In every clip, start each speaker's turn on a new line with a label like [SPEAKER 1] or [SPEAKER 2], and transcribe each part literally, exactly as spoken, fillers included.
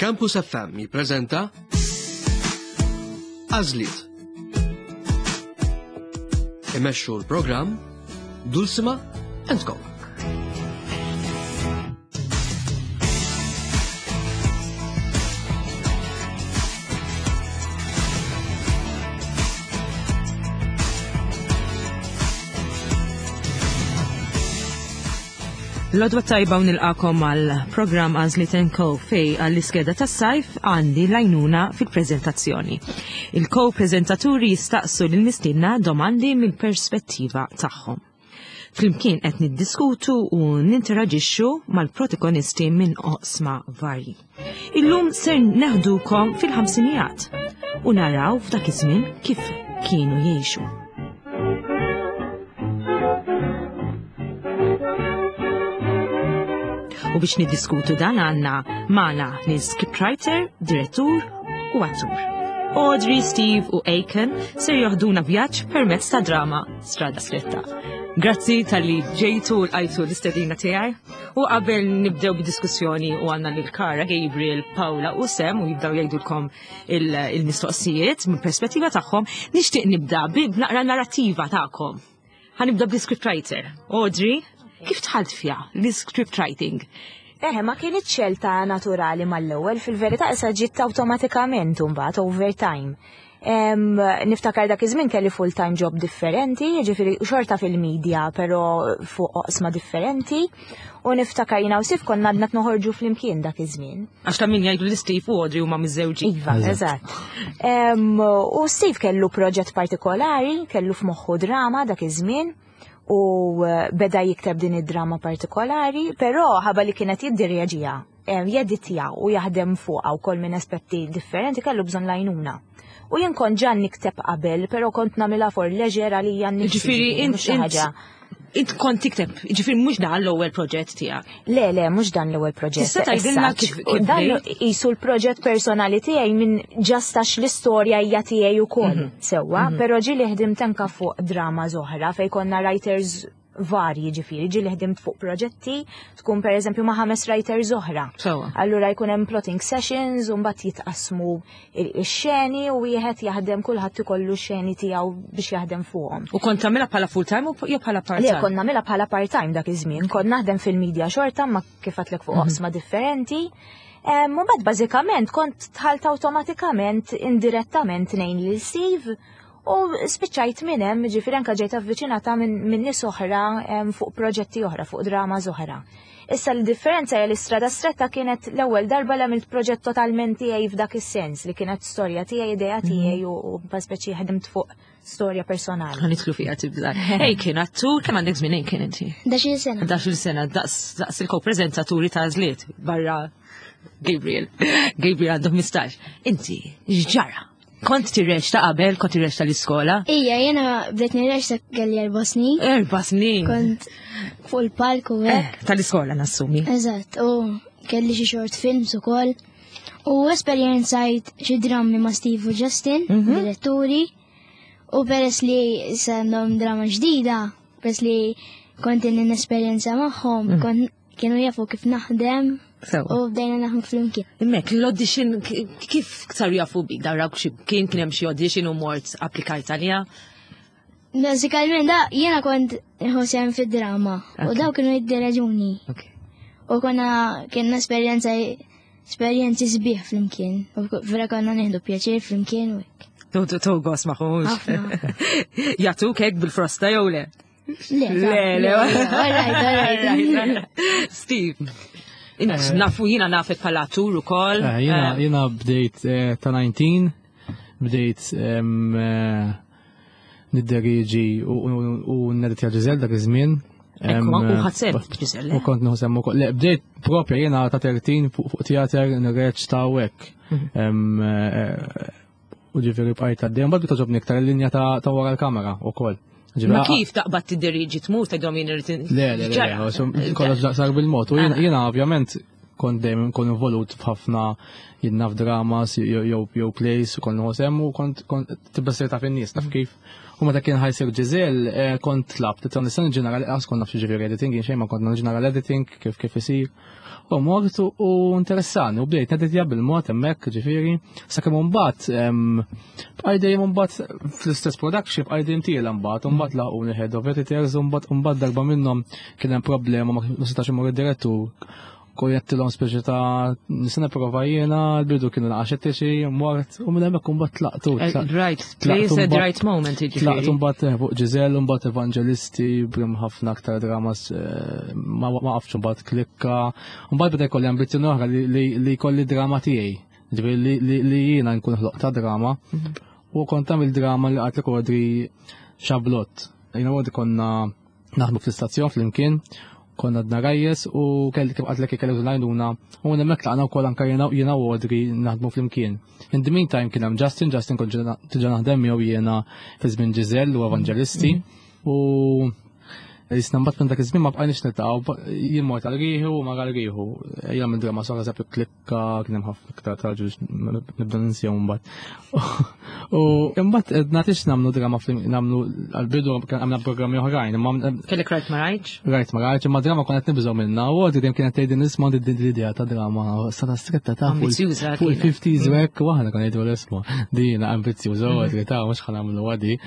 [SPEAKER 1] Campus F M jippreżenta Għażliet. Imexxu l-programm Dulcima and Co.
[SPEAKER 2] L-għodwa t-tajba u nilqagħkom għal programm Għażliet and Co fejn għall-iskeda tas-sajf għandi l-għajnuna fil-prezentazzjoni. Il-ko-prezentaturi jistaqsu l-mistiedna domandi mill-perspettiva tagħhom. Flimkien qed niddiskutu u ninteraġixxu mal-protagonisti minn oqsma varji. Illum ser neħdukom fil-ħamsinijat u naraw f'dak iż-żmien kif kienu jgħixu. U biex niddiskutu dan għandna magħna nies scriptwriter, direttur u attur. Audrey, Steve u Aiken ser joħduna vjaġġ permezz ta' drama Strada Stretta. Grazzi talli ġejtu u lqajtu l-istedina tiegħi. U qabel nibdew bid-diskussjoni u għandna lil Kara, Gabriel, Paula u Sam u jibdew jgħidulkom il-mistoqsijiet mill perspettiva tagħhom, nixtieq nibda b'naqra narrativa tagħkom. Ħa nibda bl-scriptwriter. Audrey, kif dħalt fiha l-script writing?
[SPEAKER 3] Eħe, ma kienet xelta naturali mal-ewwel, fil-verità issa ġiet awtomatikament mbagħad over time. Em, niftakar dak iż-żmien kelli full-time job differenti, jiġifieri xorta fil-media, però fuq oqsma differenti. U niftakar jiena u Steve konna għadna noħorġu flimkien dak iż-żmien.
[SPEAKER 2] Għax ta' min jgħidu li Steve u Audrey huma miżżewġin.
[SPEAKER 3] Iva, eżatt. Em, U Steve kellu proġett partikolari, kellu f'moħħu drama dak iż-żmien u eh, beda jikteb din id-drama partikolari, però ħabba li kienet jiddirieġiha, em, jeditja u jaħdem fuqha wkoll minn aspetti differenti kellu bżonn l-għajnuna. U jien kont ġa nikteb qabel, però kont nagħmilha for leisure għalija nnifsi,
[SPEAKER 2] Ġifieri int
[SPEAKER 3] mhux xi ħaġa.
[SPEAKER 2] int kont tikteb, ġifieri mhux dan l-ewwel proġett tiegħek.
[SPEAKER 3] Le, le, mhux dan l-ewwel proġett.
[SPEAKER 2] Tista' tgħidilna
[SPEAKER 3] as such.
[SPEAKER 2] kif- kif
[SPEAKER 3] Dan
[SPEAKER 2] bdejt?
[SPEAKER 3] qisu l-proġett personali tiegħi minn just għax l-istorja hija tiegħi ukoll.
[SPEAKER 2] Mhm.
[SPEAKER 3] Sewwa, però ġieli ħdimt anka fuq drama oħra fejn konna writers varji ġifieri, ġieli ħdimt fuq proġetti tkun per eżempju ma' ħames writers oħra.
[SPEAKER 2] Sewwa.
[SPEAKER 3] Allura jkun hemm plotting sessions u mbagħad jitqasmu ix-xeni u wieħed jaħdem, kulħadd ikollu x-xeni tiegħu biex jaħdem fuqhom.
[SPEAKER 2] U kont tagħmilha bħala full time u jew bħala part
[SPEAKER 3] Le,
[SPEAKER 2] time?
[SPEAKER 3] kont nagħmilha bħala part-time dak iż-żmien, kont naħdem fil-media xorta ma kif għedtlek fuq oqsma differenti. Em, U mbagħad bażikament kont dħalt awtomatikament indirettament ngħin lil Steve u spiċċajt minn hemm, ġifieri anke ġejt avviċinata minn min nies oħra em, fuq proġetti oħra, fuq drama oħra. Issa l-differenza hija li Strada Stretta kienet l-ewwel darba li għamilt proġett totalment tiegħi f'dak is-sens li kienet storja tiegħi, idea tiegħi u u speċi ħdimt fuq storja personali.
[SPEAKER 2] Ħa nidħlu fiha tibda. Ej, kien attur, kemm għandek żmien kien inti?
[SPEAKER 4] Ħdax-il sena.
[SPEAKER 2] Ħdax-il sena, daqs daqs il-ko-prezentaturi ta' Għażliet barra Gabriel. Gabriel għandu ħmistax. Inti, x'ġara? Kont tirreċta qabel, kont tirreċta l-iskola?
[SPEAKER 4] Ija, jena bdejt nirreċta kelli erba' snin.
[SPEAKER 2] Erba' snin.
[SPEAKER 4] Kont fuq il-palk u hekk.
[SPEAKER 2] Eh, tal-iskola nassumi.
[SPEAKER 4] Eżatt, u kelli xi short films ukoll. U esperjenzajt xi drammi ma' Steve u Justin,
[SPEAKER 2] Mhm.
[SPEAKER 4] diretturi. U peress li għandhom drama ġdida, peress li kont inni nesperjenza magħhom,
[SPEAKER 2] Mm.
[SPEAKER 4] kont kienu jafu kif naħdem
[SPEAKER 2] Sewwa.
[SPEAKER 4] u bdejna naħdmu flimkien.
[SPEAKER 2] Imma l-audition, k- kif saru jafu bik? Darawk xi kien kien hemm xi audition u mort applikajt għalija?
[SPEAKER 4] Bażikament da jiena kont ħosem fid-drama u
[SPEAKER 2] Ok.
[SPEAKER 4] daw kienu jiddireġuni.
[SPEAKER 2] Ok.
[SPEAKER 4] U konna kienna esperjenza esperjenzi sbieħ flimkien. U vera konna nieħdu pjaċir flimkien u hekk.
[SPEAKER 2] Tu tu tu gos maħux.
[SPEAKER 4] Ħafna.
[SPEAKER 2] Jagħtuk hekk bil-frosta jew le?
[SPEAKER 4] Le,
[SPEAKER 2] Le, le.
[SPEAKER 4] Alright, alright.
[SPEAKER 2] Steve, int nafu jiena nafek bħala attur ukoll.
[SPEAKER 5] Eh, Jena
[SPEAKER 2] Eh,
[SPEAKER 5] jena bdejt eh, ta' tmintax, bdejt em, eh, nidderieġi u u- u neditja Ġizel dak iż-żmien. Em,
[SPEAKER 2] Ekku, u
[SPEAKER 5] eh,
[SPEAKER 2] ħadt sehem Ġizel,
[SPEAKER 5] U kont nieħu sehem ukoll. Le, bdejt propja jena ta' tlettax fuq fuq teater nirreċta u hekk.
[SPEAKER 2] Mhm.
[SPEAKER 5] Em, eh, U ġifieri bqajt għaddej. Mbagħad togħġobni iktar il-linja ta' ta' wara l-kamera ukoll. Ġifieri,
[SPEAKER 2] Ma
[SPEAKER 5] ah,
[SPEAKER 2] kif taqbad tidderieġi tmur tgħidhom jien irid
[SPEAKER 5] Le, le, le, le, so, kollox sar bil-mod. U jiena- jiena ovvjament kont dejjem kont involut f'ħafna jiena f'dramas jew jew plays u kont nħossem u kont kont tibda ssir taf in-nies taf kif. U meta kien ħa jsir Giselle, eh, kont tlabt, nista' ġenerali, għax kont naf ġifieri editing, jien xejn ma kont ġeneral editing kif kif isir. U mort u interessani, u bdejt neditja bil-mod hemmhekk ġifieri, sakemm imbagħad bqaj dejjem imbagħad fl-istess production bqaj dejjem tiela mbagħad, imbagħad laquni head of editors, u mbagħad mbagħad darba minnhom kien hemm problema ma setax imur id-direttur kojettilhom speċi ta' nista' nipprova jiena, l-bidu kienu naqaxettiċi, mort, u minn hemmhekk imbagħad tlaqtu.
[SPEAKER 2] Right place at the right moment,
[SPEAKER 5] Tlaqtu
[SPEAKER 2] jiġifieri.
[SPEAKER 5] mbagħad eh, fuq Giselle, mbagħad Evangelisti, brim ħafna aktar dramas eh, ma ma qafx mbagħad klikka. Mbagħad beda jkolli ambizzjoni oħra li- li li jkolli drama tiegħi. Ġifieri li- li li jiena nkun ħloq ta' drama. U kont tagħmel drama li qatlek Audrey Xablot. Jiena Audrey konna naħdmu fl-istazzjon flimkien, konna għadna rajjes u kelli kif għedtlek kelli l-għajnuna u hemmhekk laqna wkoll anke jiena jiena u Audrey naħdmu flimkien. In the meantime kien hemm Justin, Justin kont ġa diġà naħdem miegħu jiena fi żmien Giselle u Evangelisti u Jisna mbagħad minn dak iż-żmien ma bqajniex niltaqgħu, jien mort għal riħu u ma għal riħu. Ejja minn drama soħra eżempju klikka kien hemm ħafna iktar traġu nibda ninsihom mbagħad. U imbagħad nagħtix nagħmlu drama nagħmlu għall-bidu għamna programmi oħrajn, imma
[SPEAKER 2] Kellek rajt ma rajtx?
[SPEAKER 5] Rajt ma rajtx, imma drama konna qed nibżgħu minnha u għodi dejjem kienet tgħidin nisma' din l-idea ta' drama strada stretta ta' fuq
[SPEAKER 2] Ambizjuża
[SPEAKER 5] fuq
[SPEAKER 2] kienet.
[SPEAKER 5] il-fifties u hekk u aħna konna ngħidu l-isma' dina ambizjuża u għadri ta' mhux ħa nagħmlu għadi.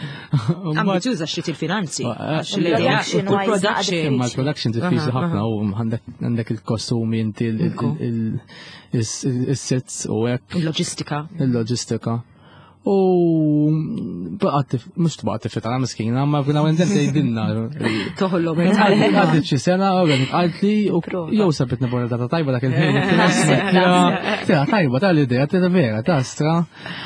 [SPEAKER 2] Ambizjuża xi il-finanzi. Għax
[SPEAKER 3] Il-production
[SPEAKER 2] l-idea- u l-production.
[SPEAKER 5] Imma l-production diffiċli
[SPEAKER 2] Aha,
[SPEAKER 5] ħafna u għandek għandek il-kostumi inti il-sets u hekk
[SPEAKER 2] Il-loġistika.
[SPEAKER 5] il-loġistika. U baqgħet mhux tbaqgħet tifita miskina, ma fina għendem tgħidilna.
[SPEAKER 2] Toħollu
[SPEAKER 5] Għaddit xi sena, u għalt li u jew sabit nibora data tajba dak il-ħin. Tira tajba tal-idea, tira vera, ta' stra.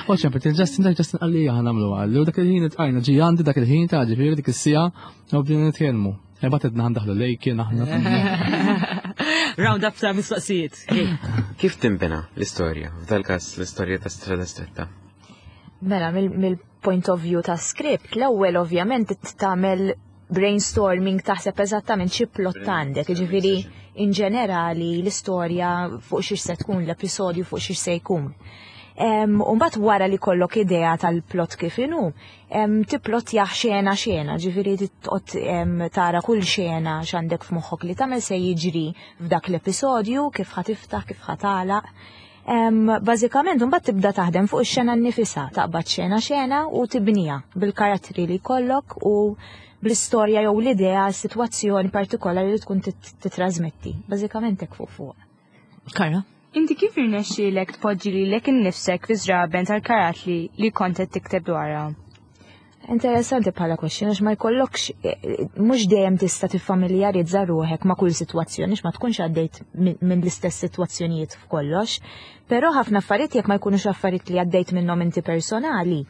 [SPEAKER 5] U ċempet il-Justin, dak Justin qalli ħa nagħmlu għalli. U dak il-ħin itqajna ġi għandi dak il-ħin ta' ġifieri dik is-sija u bdejna nitkellmu. Ebat edna ħandaħlu lejkien aħna.
[SPEAKER 2] Round up ta' mistoqsijiet.
[SPEAKER 6] Kif timbena l-istorja? F'dal każ l-istorja ta' Strada Stretta.
[SPEAKER 3] Mela, mill-point of view ta' script, l-ewwel ovvjament tagħmel brainstorming taħseb eżattament xi plot għandek, jiġifieri in ġenerali l-istorja fuq xiex se tkun l-episodju fuq xiex se jkun. U mbagħad wara li kollok idea tal-plot kif inhu, tipplotja xena xena, ġifieri toqgħod tara kull xena x'għandek f'moħħok li tagħmel se jiġri f'dak l-episodju, kif ħa tiftaħ, kif ħa tagħlaq. Bażikament mbagħad tibda taħdem fuq ix-xena nnifisha, taqbad xena xena u tibnija bil-karattri li jkollok u bl-istorja jew l-idea, s-sitwazzjoni partikolari li tkun titrasmetti. Bażikament hekk fuq fuq.
[SPEAKER 2] Kara?
[SPEAKER 7] Inti kif irnexxielek tpoġġi lilek innifsek fi żraben tal-karattri li kont qed tikteb dwarha?
[SPEAKER 3] Interessanti bħala question, għax ma jkollokx, mhux dejjem tista' tiffamiljarizza ruħek ma' kull sitwazzjoni, ma tkunx għaddejt minn l-istess sitwazzjonijiet f'kollox. Però ħafna affarijiet jekk ma jkunux affarijiet li għaddejt minnhom inti personali,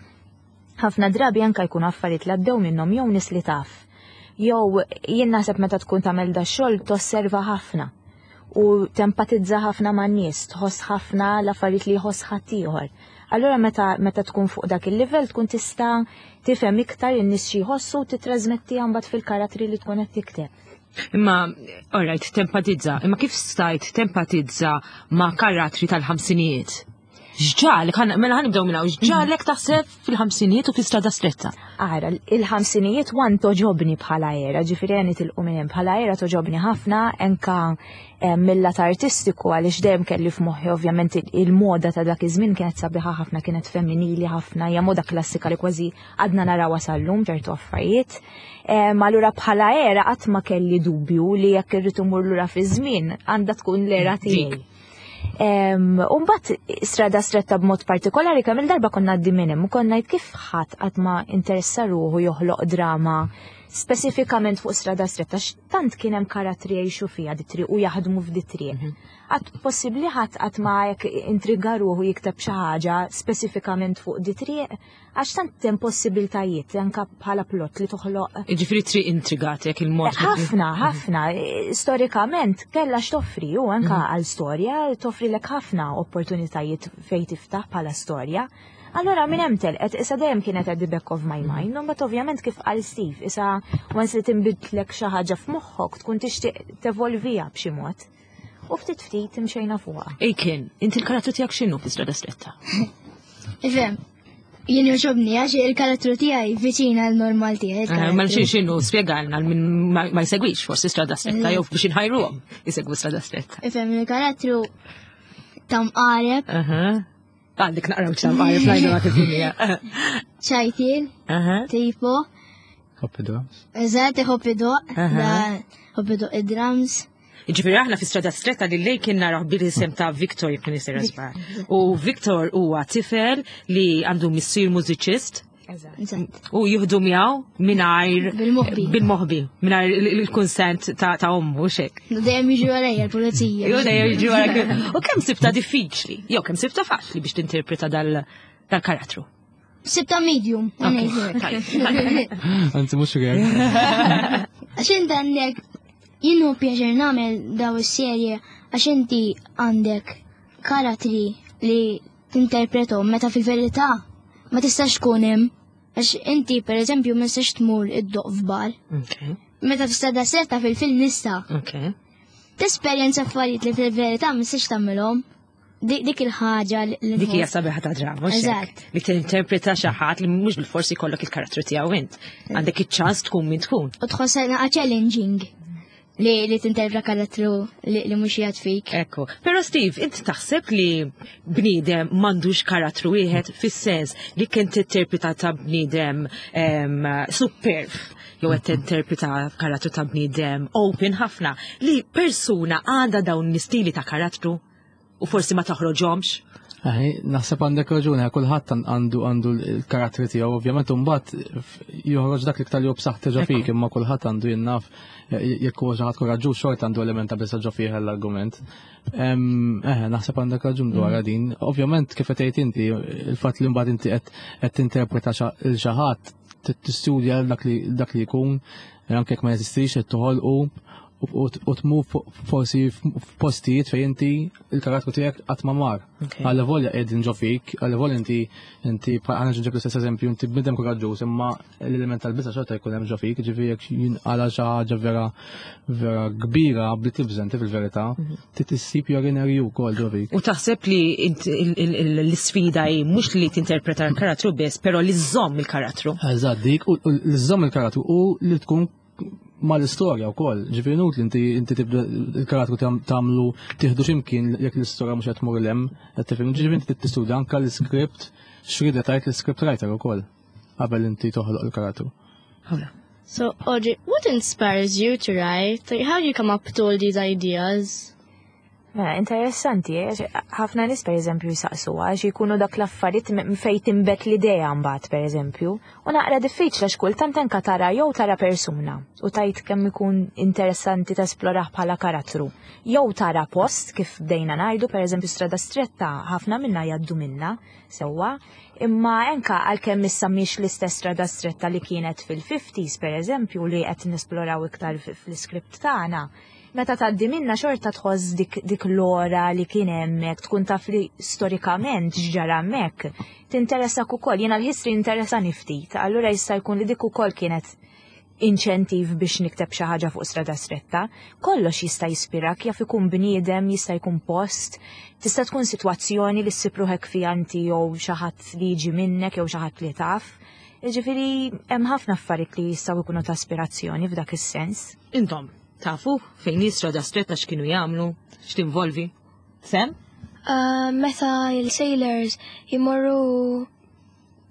[SPEAKER 3] ħafna drabi anka jkunu affarijiet li għaddew minnhom jew nies li taf. Jew jien naħseb meta tkun tagħmel da xogħol tosserva ħafna u tempatizza ħafna man nies, tħoss ħafna l-affarijiet li jħoss ħaddieħor. Allura meta meta tkun fuq dak il-livell tkun tista' tifhem iktar in-nies xi jħossu u titrasmetti mbagħad fil-karattri li tkun qed tikteb.
[SPEAKER 2] Imma, alright, tempatizza. Imma kif stajt tempatizza ma' karattri tal-ħamsinijiet? X'ġagħlek, mela ħa nibdew minna, x'ġagħlek taħseb fil-ħamsinijiet u fi strada stretta?
[SPEAKER 3] Ara, il-ħamsinijiet wan togħġobni bħala era, ġifieri għani tilqu minn hemm bħala era togħġobni ħafna, enka eh, mill-lat artistiku għaliex dejjem kelli f'moħħi ovvjament il-moda ta' dak iż-żmien kienet sabiħa ħafna, kienet femminili ħafna, hija moda klassika li kważi għadna narawha sal-lum ċertu affarijiet. Ma allura bħala era qatt ma kelli dubju li jekk irrid imur lura fi żmien għandha tkun l-era tiegħi. Umbat strada stretta b'mod partikolari kemm il-darba konna għaddi minn hemm u konna ngħid kif ħadd qatt ma interessa ruħu joħloq drama speċifikament fuq strada stretta x'tant kien hemm karattri jgħixu fiha di triq u jaħdmu f'di triq. Qatt possibbli ħadd qatt ma jekk intriga ruħu jikteb xi ħaġa speċifikament fuq di triq għax tant hemm possibiltajiet anke bħala plot li toħloq.
[SPEAKER 2] Ġifieri triq intrigatek il-mod.
[SPEAKER 3] Ħafna, ħafna. Storikament kellha x'toffri u anke għal storja toffri lek ħafna opportunitajiet fejn tiftaħ bħala storja. Allora minn hemm telqet issa dejjem kienet at the back of my mind, mbagħad ovvjament kif qal Steve, issa once li tinbidlek xi ħaġa f'moħħok tkun tixtieq tevolvija b'xi mod. U ftit ftit imxejna fuqha.
[SPEAKER 2] Ejken, inti l-karattru tiegħek x'inhu fi strada stretta?
[SPEAKER 4] Ifhem, Jien jogħġobni għax il-karattru tiegħi viċin għal normal tiegħi.
[SPEAKER 2] Eh, Ma xi x'inhu spjegalna għal min ma ma jsegwix forsi Strada Stretta jew biex inħajruhom isegwu Strada Stretta.
[SPEAKER 4] Ifhem il-karattru ta' mqareb,
[SPEAKER 2] Aha. Għandek naqraw ċam għarif ngħidu ma kif hija.
[SPEAKER 4] ċajtin,
[SPEAKER 2] Aha.
[SPEAKER 4] tipo,
[SPEAKER 5] Iħobb drums.
[SPEAKER 4] eżatt iħobb idoqq,
[SPEAKER 2] Aha.
[SPEAKER 4] da iħobb idoqq id-drums.
[SPEAKER 2] Ġifieri aħna fi Strada Stretta li lej kien naraw bil-isem ta' Victor jekk nisir żball. U Victor huwa tifel li għandu missier mużiċist
[SPEAKER 4] Eżatt.
[SPEAKER 2] u jieħdu miegħu mingħajr
[SPEAKER 4] Bil-moħbi.
[SPEAKER 2] bil-moħbi, mingħajr il-kunsent ta' ta' ommu xek.
[SPEAKER 4] Dejjem jiġu għalejja l-pulizija.
[SPEAKER 2] Jew dejjem jiġu wara. U kemm sibta diffiċli, jew kemm sibta faċli biex tinterpreta dal dal-karattru.
[SPEAKER 4] Sibta medium.
[SPEAKER 2] tajb.
[SPEAKER 5] Anzi, mhux rare.
[SPEAKER 4] Għax inti għandek, jien hu pjaċir nagħmel daw is-serje għax inti għandek karattri li tinterpretom meta fil-verità ma tistax tkun hemm. Għax inti per eżempju ma tistax tmur iddoqq f'bar.
[SPEAKER 2] Ok,
[SPEAKER 4] Meta fi Strada Stretta fil-film nista'.
[SPEAKER 2] ok.
[SPEAKER 4] Tesperjenza affarijiet li fil-verità ma tistax tagħmilhom. Dik dik il-ħaġa li li
[SPEAKER 2] Dik hija
[SPEAKER 4] nħoss.
[SPEAKER 2] sabiħa ta' drama, mhux hekk?
[SPEAKER 4] Eżatt.
[SPEAKER 2] Li tinterpreta xi ħadd li mhux bil-forsi jkollok il-karattru tiegħu int. Għandek iċ-ċans tkun min tkun.
[SPEAKER 4] U tħossha naqa challenging li li tinterpreta karattru li, li mhux qiegħed fik.
[SPEAKER 2] Ekku. Pero Steve, inti taħseb li bniedem m'għandux karattru wieħed fis-sens li kien tinterpreta ta' bniedem em, superb jew qed tinterpreta karattru ta' bniedem open ħafna li persuna għandha dawn l-istili ta' karattru u forsi ma toħroġhomx.
[SPEAKER 5] Aħi, naħseb għandek raġuni, kulħadd għandu għandu l-karattri tiegħu, ovvjament imbagħad joħroġ dak l-iktar li hu b'saħħtu ġo fik, imma kulħadd għandu jien naf jekk huwa xi ħadd koraġġuż xorta għandu element ta' biża' ġo fih l-argument. Eħe, naħseb għandek raġun dwar din. Ovvjament kif qed tgħid inti, il-fatt li mbagħad inti qed qed tinterpreta il xi ħadd tistudja dak li dak li jkun, anke jekk ma jeżistix qed toħolqu u tmur forsi f'postijiet fejn inti il-karattru tiegħek qatt ma mar. Għalla volja qegħdin ġo fik, għalla volja inti inti għana ġib l-istess eżempju, inti bniedem koraġġuż, imma l-element tal-biża' xorta jkun hemm ġo fik, ġifieri jekk jinqala xi ħaġa vera vera kbira bli tibża inti fil-verità, trid issib your inner you wkoll ġo fik.
[SPEAKER 2] U taħseb li l-isfida hi mhux li tinterpreta l-karattru biss, però li żżomm il-karattru.
[SPEAKER 5] Eżatt, dik, u li żżomm il-karattru u li tkun mal-istorja wkoll. Ġifieri nut li inti inti tibda il-karattru tagħmlu tieħdu x'imkien jekk l-istorja mhux qed tmur 'l hemm, qed tifhem. Ġifieri inti tistudja anke l-iskript x'rieda tgħid l-script writer ukoll qabel inti toħloq il-karattru.
[SPEAKER 8] So, Audrey, what inspires you to write? Like, how do you come up with all these ideas?
[SPEAKER 3] Mela, interessanti, eh, ħafna nies per eżempju jisaqsu għax jkunu dak l-affarijiet fej timbet l-idea mbagħad per eżempju, u naqra diffiċli għax kultant anka tara jew tara persuna u tajt kemm ikun interessanti tesplorah bħala karattru. Jew tara post kif bdejna ngħidu per eżempju Strada Stretta ħafna minna jgħaddu minna sewwa, imma anka għalkemm issa mhix l-istess Strada Stretta li kienet fil-fifties per eżempju li qed nesploraw iktar fl-iskript tagħna. Meta tgħaddi minna xorta tħoss dik, dik l-ora li kien hemmhekk, tkun taf li storikament x'ġara hemmhekk, tinteressak ukoll, jiena l-history interessani ftit, allura jista' jkun li dik ukoll kienet inċentiv biex nikteb xi ħaġa fuq Strada Stretta. Kollox jista' jispirak, jaf ikun bniedem, jista' jkun post, tista' tkun sitwazzjoni li ssib ruħek fiha inti jew xi ħadd li jiġi minnek jew xi ħadd li taf. Jiġifieri hemm ħafna affarijiet li jistgħu jkunu ta' aspirazzjoni f'dak is-sens.
[SPEAKER 2] Intom, tafu fejn hi Strada Stretta x'kienu jagħmlu, x'tinvolvi? Sem?
[SPEAKER 8] Uh, meta il-sailors jimorru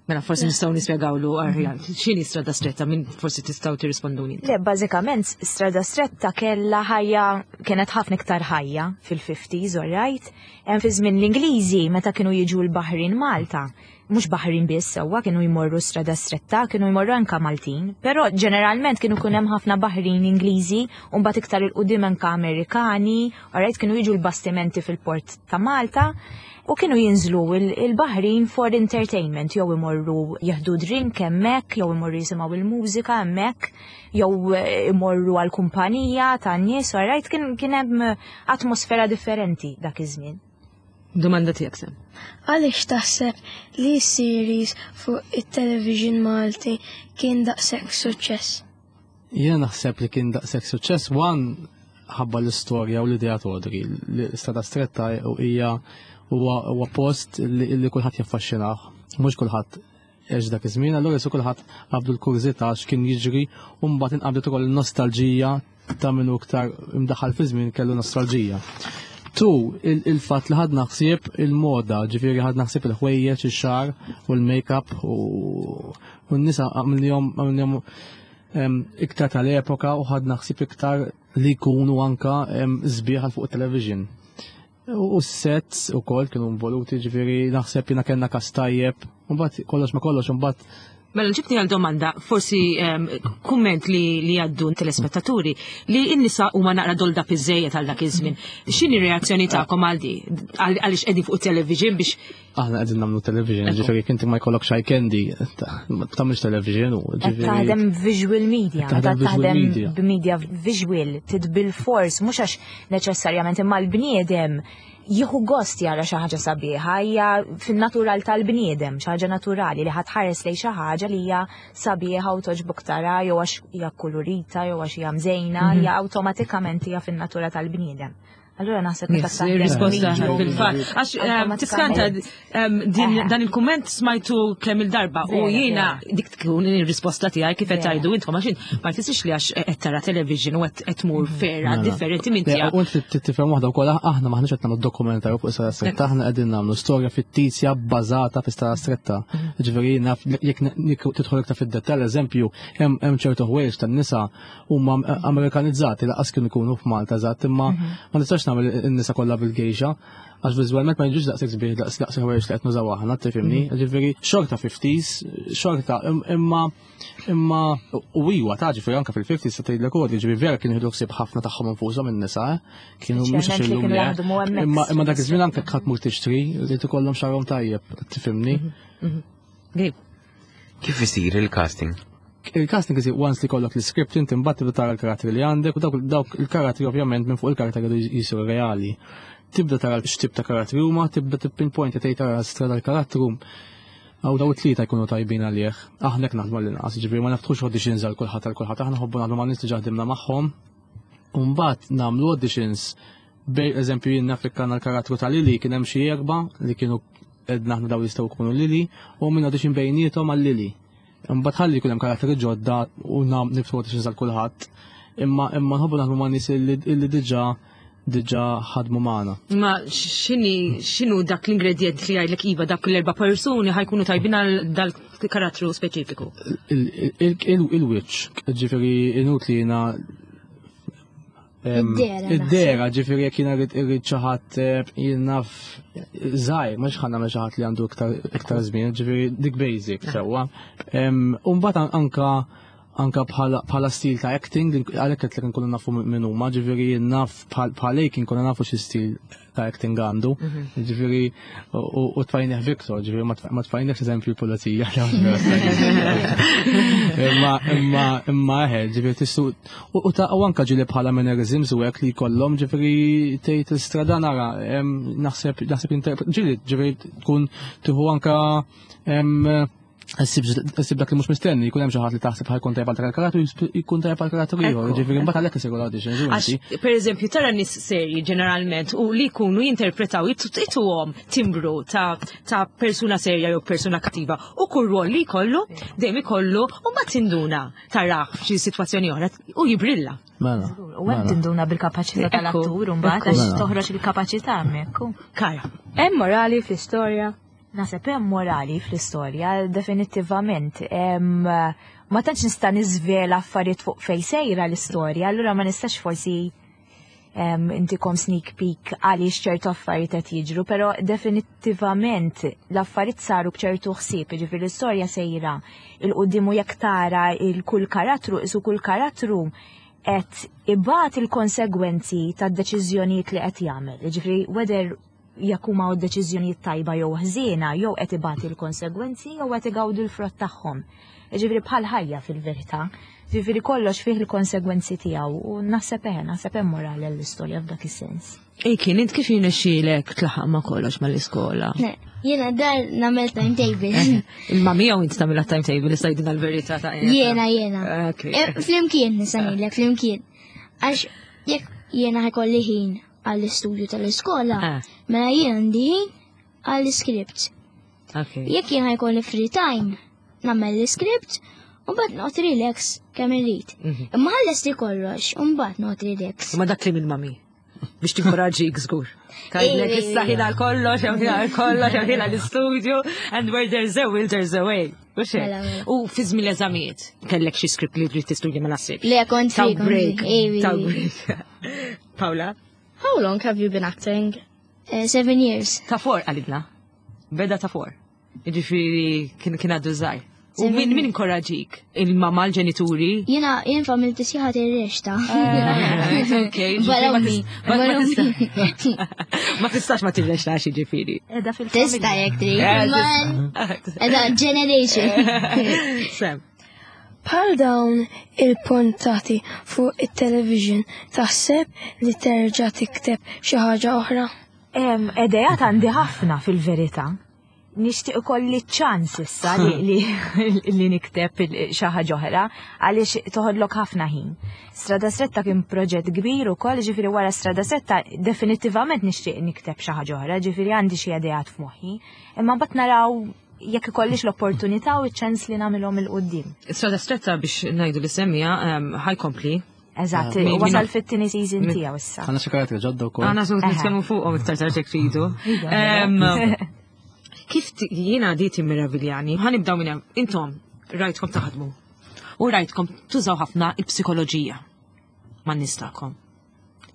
[SPEAKER 2] Mela forsi nistgħu nispjegawlu aħjar x'inhi Strada Stretta min forsi tistgħu tirrisponduni.
[SPEAKER 3] Le, bażikament Strada Stretta kellha ħajja kienet ħafna iktar ħajja fil-fifties, all right? Hemm fi żmien l-Ingliżi meta kienu jiġu l-Baħrin Malta, mhux Baħrin biss sewwa kienu jmorru Strada Stretta, kienu jmorru anka Maltin, però ġeneralment kienu kun hemm ħafna Baħrin Ingliżi u mbagħad iktar 'il quddiem anka Amerikani, all right, kienu jiġu l-bastimenti fil-port ta' Malta u kienu jinżlu il-Baħrin for entertainment, jew imorru jieħdu drink hemmhekk, jew imorru jisimgħu il-mużika hemmhekk, jew imorru għal kumpanija tan-nies, all right, kien kien hemm atmosfera differenti dak iż-żmien.
[SPEAKER 2] Domanda tiegħek Sem.
[SPEAKER 8] Għaliex taħseb li series fuq it-television Malti kien daqshekk suċċess?
[SPEAKER 5] Jiena naħseb li kien daqshekk suċċess one ħabba l-istorja u l-idea Audrey. L-Strada Stretta hija huwa post li kulħadd jaffaxxinah, mhux kulħadd għex dak iż-żmien, allura qisu kulħadd qabdu l-kurżità x'kien jiġri u mbagħad inqabdet ukoll il-nostalġija ta' minnu iktar imdaħħal fi żmien kellu nostalġija. Tu, il-fatt li ħadna ħsieb il-moda, ġifieri ħadna ħsieb il-ħwejjeġ, ix-xagħar u l-make-up u n-nisa għamilnihom għamilnihom iktar tal-epoka u ħadna ħsieb iktar li jkunu anka sbieħ għal fuq il-television. U s-sets u koll kienu involuti, ġifieri naħseb jiena kellna cast tajjeb, u mbagħad kollox ma kollox, mbagħad
[SPEAKER 2] Mela ġibni għal domanda, forsi um, kumment li, li għaddu telespettaturi, li n-nisa huma naqra dolled up iżżejjed għal dak iż-żmien. X'inhi reazzjoni tagħkom għal di? Għaliex qegħdin fuq television biex
[SPEAKER 5] Aħna qegħdin nagħmlu television, ġifieri inti ma jkollok eye candy, ma tagħmilx television u
[SPEAKER 3] ġifieri. Taħdem visual media, taħdem b'media visual, tidbil fors, mhux għax neċessarjament imma l-bniedem jieħu gost jara xi ħaġa sabiħa, hija fin-natural tal-bniedem, xi ħaġa naturali li ħa tħares lejn xi ħaġa li hija sabiħa u toġbok tara jew għax hija kolorita jew għax hija mżejna, hija awtomatikament hija fin-natura tal-bniedem. Allura naħseb meta
[SPEAKER 2] taħdem. Risposta fil-fatt. Għax tiskanta dan il-kumment smajtu kemm il-darba u jiena dik tkun ir-risposta tiegħi kif qed tgħidu intom għax ma jfissirx li għax qed tara television u qed tmur ferra differenti minn tiegħek.
[SPEAKER 5] U inti tifhem waħda wkoll aħna maħniex qed nagħmlu dokumentarju fuq Strada Stretta, aħna qegħdin nagħmlu storja fittizja bbażata fi Strada Stretta. Ġifieri naf jekk tidħol iktar fid-dettall, eżempju, hemm ċertu ħwejjeġ tan-nisa huma Amerikanizzati laqas kienu jkunu f'Malta eżatt, imma ma nistax nagħmel in-nisa kollha bil-gejxa, għax viżwalment ma jiġux daqshekk sbieħ daqs daqs ħwejjeġ li qed nużaw aħna, tifhimni? Ġifieri xorta fifties, xorta imma imma u iwa ta' ġifieri anke fil-fifties se tgħidlek ukoll, ġifieri vera kienu jieħdu ħsieb ħafna tagħhom infushom in-nisa, kienu mhux għax illum imma imma dak iż-żmien anke ħadd mur tixtri li tikollhom xagħarhom tajjeb, tifhimni?
[SPEAKER 6] Kif isir il-casting?
[SPEAKER 5] Il-casting isir once li kollok l-script inti mbagħad tibda tara l-karattri li għandek u dawk dawk il-karattri ovvjament minn fuq il-karattri jridu jisiru reali. Tibda tara x'tip ta' karattri huma, tibda tippinpoint tgħid tara strada l-karattru. Għaw daw it-tlieta jkunu tajbin għalih. Aħna hekk naħdmu l-inqas, ġifieri ma naftħux auditions għal kulħadd għal kulħadd, aħna nħobbu naħdmu ma' nies li ġaħdimna magħhom. U mbagħad nagħmlu auditions bej eżempju jien naf li kellna l-karattru ta' Lili kien hemm xi erba' li kienu edna aħna daw jistgħu jkunu Lili u minn audition bejniethom għal Lili. Imbagħad ħalli jkun hemm karattri ġodda u nam niftħu auditions għal kulħadd. Imma imma nħobbu naħdmu ma' nies illi diġà diġà ħadmu magħna.
[SPEAKER 2] Ma x'inhi x'inhu dak l-ingredient li jgħidlek iva dak l-erba' persuni ħa jkunu tajbin għal dal-karattru speċifiku?
[SPEAKER 5] Il-wiċċ, ġifieri inutli jiena Id-dehra, ġifieri jekk jiena rrid xi ħadd jien naf żgħir, mhux ħa nagħmel xi ħadd li għandu iktar żmien, ġifieri dik basic sewwa. U mbagħad anka anka bħala stil ta' acting, għalhekk qed nkunu nafu minn huma, ġifieri naf bħal kien nkunu nafu xi stil ta' acting għandu. Ġifieri u tfajnieh Victor, ġifieri ma tfajniehx eżempju l-pulizija. Imma imma imma eħe, ġifieri tissu u ta' u anka ġieli bħala mannerisms u hekk li jkollhom ġifieri tgħid istrada nara naħseb naħseb ġieli ġifieri tkun tieħu anka Issib dak li mhux mistenni, jkun hemm xi ħadd li taħseb ħa jkun tajjeb għal karattru, jkun tajjeb għal karattru ieħor, ġifieri mbagħad għalhekk isiru l-auditions.
[SPEAKER 2] Għax, per eżempju, tara nies serji ġeneralment u li jkunu jinterpretaw ituhom timbru ta' ta' persuna serja jew persuna kattiva u kull rol li jkollu dejjem ikollu u ma tinduna tarah f'xi sitwazzjoni oħra u jibrilla.
[SPEAKER 5] Mela.
[SPEAKER 3] U hemm tinduna bil-kapaċità tal-attur u mbagħad għax toħroġ il-kapaċità hemmhekk.
[SPEAKER 2] Kara.
[SPEAKER 7] Hemm morali fl-istorja.
[SPEAKER 3] Naħseb hemm morali fl-istorja, definitivament. Ma tantx nista' niżvela affarijiet fuq fejn sejra l-istorja, allura ma nistax forsi intikom sneak peek għaliex ċertu affarijiet qed jiġru, però definitivament l-affarijiet saru b'ċertu ħsieb, jiġifieri l-istorja sejra 'il quddiem u jekk tara il kull karattru, isu kull karattru qed ibati il-konsegwenzi tad-deċiżjonijiet li qed jagħmel. Jiġifieri whether jekk huma deċiżjonijiet tajba jew ħżiena, jew qed ibati l-konsegwenzi jew qed igawdu l-frott tagħhom. Jiġifieri bħal ħajja fil-verità. Jiġifieri kollox fih il-konsegwenzi tiegħu u naħseb eħe, naħseb hemm morali għall-istorja f'dak is-sens.
[SPEAKER 2] Ej kien int kif jirnexxielek tlaħaq ma' kollox mal-iskola?
[SPEAKER 4] Jiena dar nagħmel timetable.
[SPEAKER 2] Imma miegħu int tagħmilha timetable, issa jgħidilna l-verità ta'
[SPEAKER 4] Jiena, jiena. Flimkien nista' ngħidlek, flimkien. Għax jekk jiena ħa jkolli ħin għall-istudju tal-iskola, mela jien għandi ħin għall-script. Jekk jien ħa jkolli free time, nagħmel l-script u mbagħad noqgħod relax kemm irrid. Imma ħallesti kollox u mbagħad noqgħod relax.
[SPEAKER 2] Ma dak li minn mami. Biex tinkoraġġik żgur. Tgħidlek issa ħin għal kollox, hemm ħin għal kollox, hemm ħin għall-istudju, and where there's a will, there's a way. Mhux hekk?
[SPEAKER 4] Mela, mela.
[SPEAKER 2] U fi żmien l-eżamijiet, kellek xi script li trid tistudja ma naħsibx.
[SPEAKER 4] Le, kont
[SPEAKER 2] Taw
[SPEAKER 4] free, kont
[SPEAKER 2] break.
[SPEAKER 4] free. Ejwi,
[SPEAKER 2] Taw
[SPEAKER 4] ejwi.
[SPEAKER 2] break. Paula?
[SPEAKER 8] How long have you been acting?
[SPEAKER 4] Eh, Seven years.
[SPEAKER 2] Ta' four għalidna. Beda ta' four. Jiġifieri kien kien għadu żgħir. U min min inkoraġik? Il-mama, l-ġenituri?
[SPEAKER 4] Jiena jien familti sħiħa tirrexta.
[SPEAKER 2] Eh, Ok,
[SPEAKER 4] Barra
[SPEAKER 2] ġifieri ma
[SPEAKER 4] ommi,
[SPEAKER 2] tis- ma- ma
[SPEAKER 4] barra
[SPEAKER 2] tista- Ma tistax ma tirrextax jiġifieri.
[SPEAKER 3] Edha fil-familja.
[SPEAKER 4] Tista jekk trid.
[SPEAKER 2] Eh,
[SPEAKER 4] Man, edha generation.
[SPEAKER 2] Sam.
[SPEAKER 9] Bħal dawn il-puntati fuq it-television taħseb li terġa' tikteb xi ħaġa oħra?
[SPEAKER 3] Em, Idejat għandi ħafna fil-verità. Nixtieq ikolli ċans issa li, li, li nikteb il- xi ħaġa oħra għaliex toħodlok ħafna ħin. Strada Stretta kien proġett kbir ukoll, ġifieri wara Strada Stretta definitivament nixtieq nikteb xi ħaġa oħra, ġifieri għandi xi idejat f'moħħi. Imma mbagħad naraw jekk ikollix l-opportunità u ċ-ċans li nagħmilhom 'il quddiem.
[SPEAKER 2] Strada stretta biex ngħidu li semmija em, ħajkompli.
[SPEAKER 3] Eżatt,
[SPEAKER 2] Min-
[SPEAKER 3] wasal
[SPEAKER 2] min-
[SPEAKER 3] fit-tieni season
[SPEAKER 2] min-
[SPEAKER 3] tiegħu issa.
[SPEAKER 5] Għandna xi karattri ġodda wkoll.
[SPEAKER 2] Għana sot
[SPEAKER 3] Eħe.
[SPEAKER 2] nitkellmu fuqhom iktar tard jekk tridu. Em, Kif ti- jiena di timmeraviljani, ħanibdaw minn hemm. Intom rajtkom taħdmu. U rajtkom tużaw ħafna il-psikoloġija man nies tagħkom.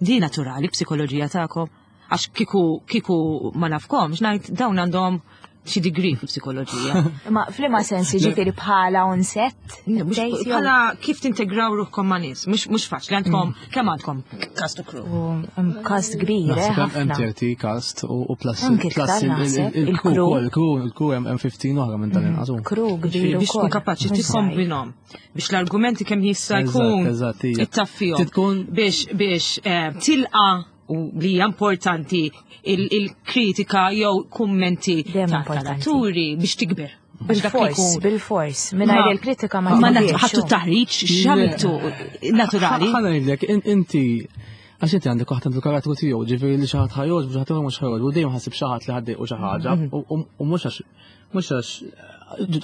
[SPEAKER 2] Di naturali psikoloġija tagħkom għax kiku kiku ma nafkomx ngħid dawn għandhom xi degree fil-psikoloġija.
[SPEAKER 3] Ma f'liema sens jiġifieri bħala on set?
[SPEAKER 2] Mhux
[SPEAKER 3] tgħid jew-
[SPEAKER 2] Bħala kif tintegraw ruħkom ma' nies, mhux mhux faċli għandkom kemm għandkom cast u crew.
[SPEAKER 3] U hemm cast kbir, eh,
[SPEAKER 5] Naħseb hemm
[SPEAKER 3] ħafna.
[SPEAKER 5] thirty cast u u plus
[SPEAKER 3] Anke
[SPEAKER 5] plus
[SPEAKER 3] iktar
[SPEAKER 5] il- il-
[SPEAKER 3] naħseb,
[SPEAKER 5] il-crew
[SPEAKER 3] il-crew.
[SPEAKER 5] ukoll, il-crew il-crew hemm hemm fifteen oħra minn tal-inqas. u.
[SPEAKER 3] Crew kbir
[SPEAKER 2] Biex tkun
[SPEAKER 3] ukoll.
[SPEAKER 2] kapaċi
[SPEAKER 3] Mhux żgħir.
[SPEAKER 2] tikkombinhom biex l-argumenti kemm jista'
[SPEAKER 5] Eżatt,
[SPEAKER 2] jkun
[SPEAKER 5] eżatt, hija.
[SPEAKER 2] ittaffihom.
[SPEAKER 5] Trid tkun-
[SPEAKER 2] biex biex eh, tilqa u li hija importanti il- il-kritika jew kummenti
[SPEAKER 3] Dejjem
[SPEAKER 2] ta'
[SPEAKER 3] importanti.
[SPEAKER 2] tal-atturi biex tikber. Biex dak li
[SPEAKER 3] Bil-fors,
[SPEAKER 2] jkun.
[SPEAKER 3] bil-fors. Mingħajr
[SPEAKER 2] Ma-
[SPEAKER 3] il-kritika ma
[SPEAKER 2] Ma nat-
[SPEAKER 3] tikbirx,
[SPEAKER 2] ħattu
[SPEAKER 3] u.
[SPEAKER 2] taħriġ, x'għamiltu naturali.
[SPEAKER 5] Ħa ngħidlek, in- inti għax inti għandek waħda fil-karattru tiegħu, ġifieri li xi ħadd ħajjoġ, xi ħadd ieħor mhux ħajjoġ, u dejjem ħasib xi ħadd li ħaddejqu xi ħaġa, u- u u mhux għax mhux għax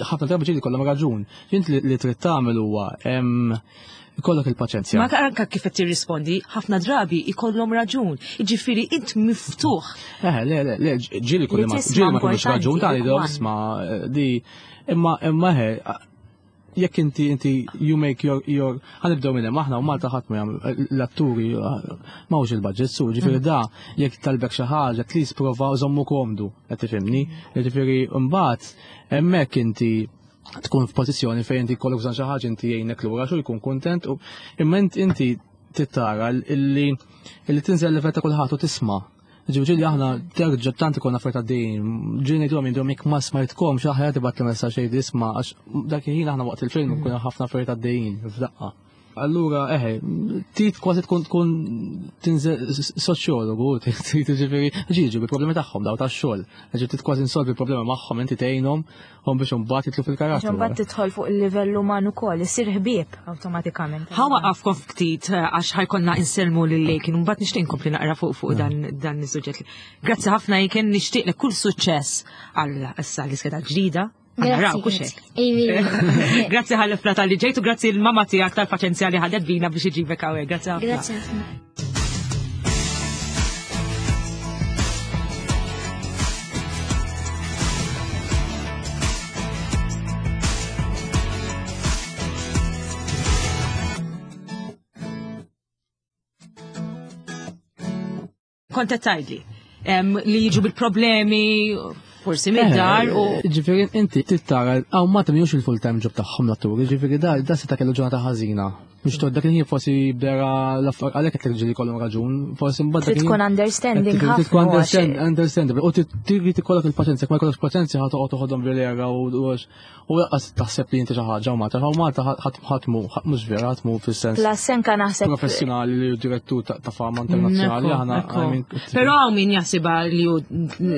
[SPEAKER 5] ħafna drabi ġieli kollha raġun. Int li li trid tagħmel huwa em, ikollok il-paċenzja.
[SPEAKER 2] Ma anka kif qed tirrispondi, ħafna drabi ikollhom raġun. Jiġifieri int miftuħ.
[SPEAKER 5] Eh, le, le, le, ġieli kulli
[SPEAKER 3] Li
[SPEAKER 5] ma
[SPEAKER 3] tisma'
[SPEAKER 5] ġieli ma kellux
[SPEAKER 3] importanti,
[SPEAKER 5] raġun ta'
[SPEAKER 3] dik
[SPEAKER 5] li
[SPEAKER 3] one.
[SPEAKER 5] isma' di imma imma he jekk inti inti you make your your ħanibdew minn hemm aħna u Malta ħadd ma jagħmel l-atturi m'hawnx il-budget su ġifieri da jekk talbek xi ħaġa at least prova żommu komdu qed tifhimni. Ġifieri mbagħad hemmhekk inti tkun f'pożizzjoni fejn inti jkollok bżonn xi ħaġa inti jgħinek lura xu jkun kuntent u imma int- inti tittara illi illi tinżel level ta' kulħadd u tisma'. Ġifieri li aħna terġa' tant ikollna affarijiet għaddejjin, ġieli ngħidulhom jgħidulhom jekk ma smajtkomx aħjar tibgħat li messaġġ jgħid isma' għax dak il-ħin aħna waqt il-film nkunu ħafna affarijiet għaddejjin f'daqqa. Allura, eħe, tit kważi tkun tkun tinżel soċjologu, trid ġifieri, ġiġu bil-problemi tagħhom daw tax-xogħol. Ġifieri trid kważi insolvi il-problemi magħhom inti tgħinhom hom biex imbagħad jitlu
[SPEAKER 3] Għax
[SPEAKER 5] fil-karattru.
[SPEAKER 3] imbagħad tidħol fuq il-livell uman ukoll, issir ħbieb awtomatikament.
[SPEAKER 2] Ħa waqafkom ftit eh, għax ħajkonna insellmu lil Lejkin, mbagħad nixtieq inkompli naqra fuq fuq dan dan is-suġġett. Grazzi ħafna Aiken, nixtieq lek kull suċċess għal issa l-iskeda ġdida. Naraw
[SPEAKER 4] Grazzi.
[SPEAKER 2] hekk.
[SPEAKER 4] Ejwi.
[SPEAKER 2] Grazzi ħalifna tal-li ġejtu, grazzi l-mama tiegħek tal-paċenzja li ħadet bina biex iġibek hawnhekk. Grazzi ħafna.
[SPEAKER 4] Grazzi ħafna.
[SPEAKER 2] Kont qed tgħidli em, li jiġu bil-problemi, forsi mid-dar u
[SPEAKER 5] Eh, Ġifieri inti tittara għaw ma temjux il-full time job tagħhom l-atturi, ġifieri da da seta' kellu ġurnata ħażina. Biex todd dak il-ħin forsi bdera l-affar għalhekk qed ġieli kollhom raġun, forsi mbagħad dak
[SPEAKER 3] Trid tkun
[SPEAKER 5] il-ħin-
[SPEAKER 3] understanding
[SPEAKER 5] Trid
[SPEAKER 3] ħafna.
[SPEAKER 5] tkun
[SPEAKER 3] għax-
[SPEAKER 5] understand- understandable. U trid ikollok il-paċenzja, jekk ma jkollokx paċenzja ħa toqgħod toħodhom bil-era u u u lanqas taħseb li inti xi ħaġa u Malta, u Malta ħadd ħatmu mhux vera ħatmu fis-sens
[SPEAKER 3] Plus senka naħseb
[SPEAKER 5] professjonali li hu direttur ta' ta' fama internazzjonali
[SPEAKER 2] Ekku,
[SPEAKER 5] aħna
[SPEAKER 2] ekku.
[SPEAKER 5] I mean,
[SPEAKER 2] Però hawn min jaħsibha li hu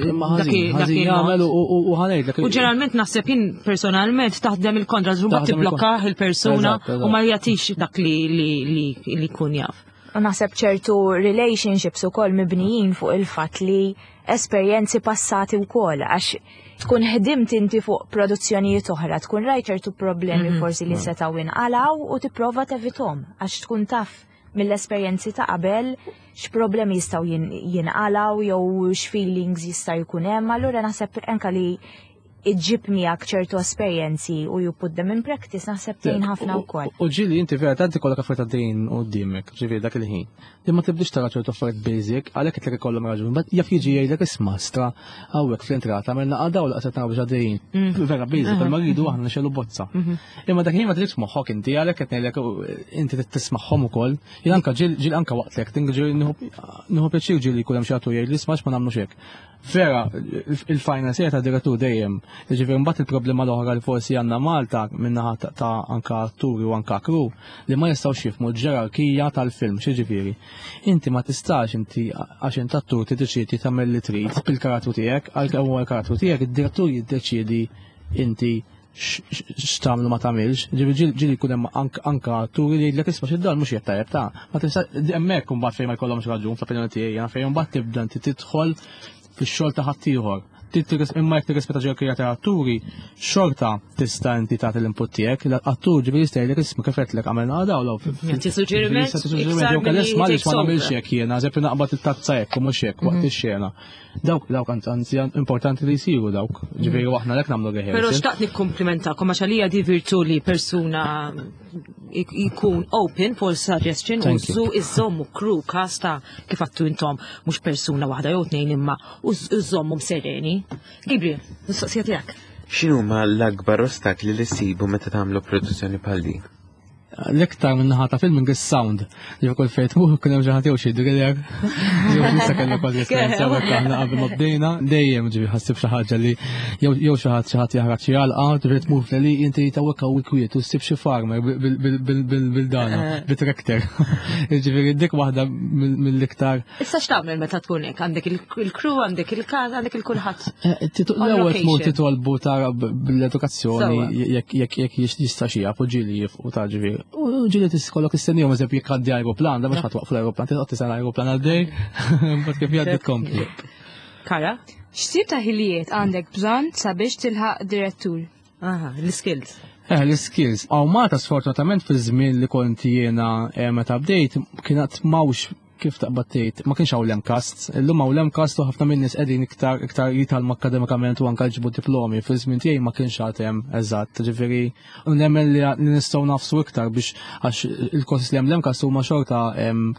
[SPEAKER 5] imma
[SPEAKER 2] dak
[SPEAKER 5] ħażin,
[SPEAKER 2] dak
[SPEAKER 5] ħażin
[SPEAKER 2] il-mod.
[SPEAKER 5] jagħmel u u- u ħanejdlek.
[SPEAKER 2] U ġeneralment naħseb jien personalment taħdem il-kontra, mbagħad
[SPEAKER 5] Taħdem
[SPEAKER 2] tibblokka
[SPEAKER 5] il-kontra.
[SPEAKER 2] il-persuna
[SPEAKER 5] Eżatt, eżatt.
[SPEAKER 2] u ma jagħtix dak li li li li jkun jaf.
[SPEAKER 3] U naħseb ċertu relationships ukoll mibnijin fuq il-fatt li esperjenzi passati wkoll għax tkun ħdimt inti fuq produzzjonijiet oħra, tkun rajt ċertu problemi
[SPEAKER 2] Mhm.
[SPEAKER 3] forsi li setgħu inqalgħu u tipprova tevitahom għax tkun taf mill-esperjenzi ta' qabel x'problemi jistgħu jin- jinqalgħu jew x'feelings jista' jkun hemm, allura naħseb anka li iġġib miegħek ċertu esperjenzi u you put them in practice naħseb tgħin ħafna wkoll.
[SPEAKER 5] U ġieli inti vera tanti kollok affarijiet għaddejjin quddiemek, ġifieri dak il-ħin. Li ma tibdix tara ċertu affarijiet basic, għalhekk qed ikollhom raġun, but jaf jiġi jgħidlek isma' stra hawnhekk fl-entrata għamilna għadaw laqset naraw biex għaddejjin. Vera basic, imma rridu aħna nixegħlu bozza. Imma dak il-ħin ma tridx moħħok inti għalhekk qed ngħidlek inti trid tismagħhom ukoll. Jien anka ġieli ġieli anka waqt l-acting ġieli nieħu pjaċir ġieli jkun hemm xi attur jgħid li isma' ma nagħmlux hekk. Vera, il-final ta' direttur dejjem. Ġifieri mbagħad il-problema l-oħra li forsi għandna Malta minnaħa ta' ta' anka atturi u anka crew li ma jistgħux jifhmu l-ġerarkija tal-film, xi Inti ma tistax inti għax int attur tiddeċiedi tagħmel li trid bil-karattru tiegħek, għalkemm huwa l-karattru tiegħek, id-direttur jiddeċiedi inti x'tagħmlu ma tagħmilx. Ġifieri ġieli jkun hemm anka atturi li jgħidlek isma' x'id-dan mhux qed tajjeb ta' ma tista' hemmhekk imbagħad fejn ma jkollhomx raġun fl-opinjoni tiegħi, jiena fejn imbagħad tibda inti tidħol fix-xogħol ta' ħaddieħor. Imma jekk tirrispetta ġerarkija ta' atturi, xorta tista' inti tagħti l-input tiegħek, l-attur ġifieri jista' jgħidlek isma' kif qedlek għamilna daw law.
[SPEAKER 2] Jagħti suġġeriment
[SPEAKER 5] Jew kellha isma' għaliex ma nagħmilx hekk jiena, eżempju naqbad it-tazza hekk u mhux hekk waqt ix-xena. Dawk dawk anzi importanti li jsiru dawk. Ġifieri aħna lek nagħmlu rehearsal.
[SPEAKER 2] Però xtaqt nikkomplimentakom għax għalija di virtu li persuna jkun open for suggestion u
[SPEAKER 5] Thank you.
[SPEAKER 2] zu iżommu crew cast ta' kif għattu intom mhux persuna waħda jew tnejn imma u iżommu sereni. Gabriel, mistoqsija tiegħek.
[SPEAKER 6] X'inhuma l-akbar ostakli li ssibu meta tagħmlu produzzjoni bħal din?
[SPEAKER 5] L-iktar minn naħa ta' filming is-sound. Li kull fejn tmur kien hemm xi ħadd jew xi driller. Jew nista' kellna kważi esperjenza hekk aħna qabel ma bdejna, dejjem ġifi ħassib xi ħaġa li jew jew xi ħadd xi ħadd jaħraq xi għalqa, ġifi tmur fl-li inti tawwek hawn kwiet u ssib xi farmer bil-dana, bit-tractor. Ġifieri dik waħda mill-iktar
[SPEAKER 2] Issa x'tagħmel meta tkun hekk? Għandek il-crew, għandek il-cast, għandek il-kulħadd. On
[SPEAKER 5] L-ewwel tmur
[SPEAKER 2] location.
[SPEAKER 5] titolbu tara bil-edukazzjoni
[SPEAKER 2] Sewwa.
[SPEAKER 5] jekk jekk jekk jista' xi jaf u ġieli jifqu ta' ġifieri. U ġieli kollok istennihom eżempju jekk għaddi aeroplan, da mhux ħadd waqfu l-aeroplan, titqgħod tistenna aeroplan għaddej, mbagħad kif jgħaddi tkompli.
[SPEAKER 2] Kara?
[SPEAKER 7] X'tip ta' ħiliet għandek bżonn sabiex tilħaq direttur?
[SPEAKER 2] Aha, l-skills.
[SPEAKER 5] Eh, l-skills. Hawn Malta sfortunatament fil-żmien li kont jiena eh, meta bdejt kienet m'hawnx kif taqbad tgħid, ma kienx hawn l-MCAST. Illum hawn l-MCAST u ħafna minn nies qegħdin iktar iktar jitgħallmu akademikament u anke jġibu diplomi. Fil-żmien tiegħi ma kienx għad hemm eżatt. Ġifieri nemmen li li nistgħu nafsu iktar biex għax il-courses li hemm l-MCAST huma xorta em,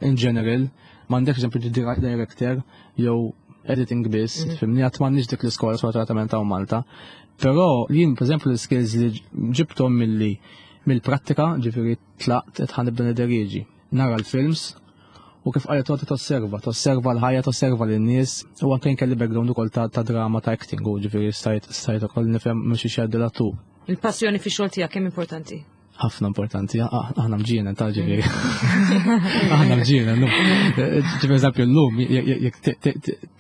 [SPEAKER 5] in general, m'għandekx eżempju director jew editing biss, fimni għad m'għandniex dik l-iskola sfortunatament hawn Malta. Però jien, per eżempju, l-skills li ġibtom milli mill-prattika, ġifieri tlaqt qed ħa nibda niderieġi. Nara l-films u kif qalet toqgħod tosserva, tosserva l-ħajja, tosserva lin-nies u anke kelli background ukoll ta' ta' drama ta' acting u ġifieri stajt stajt ukoll nifhem mhux xi jgħaddi l-attur.
[SPEAKER 2] Il-passjoni fi xogħol tiegħek kemm importanti?
[SPEAKER 5] Ħafna importanti, ah, aħna mġiena ta' ġifieri. Aħna mġiena, no. Ġifieri eżempju llum, jekk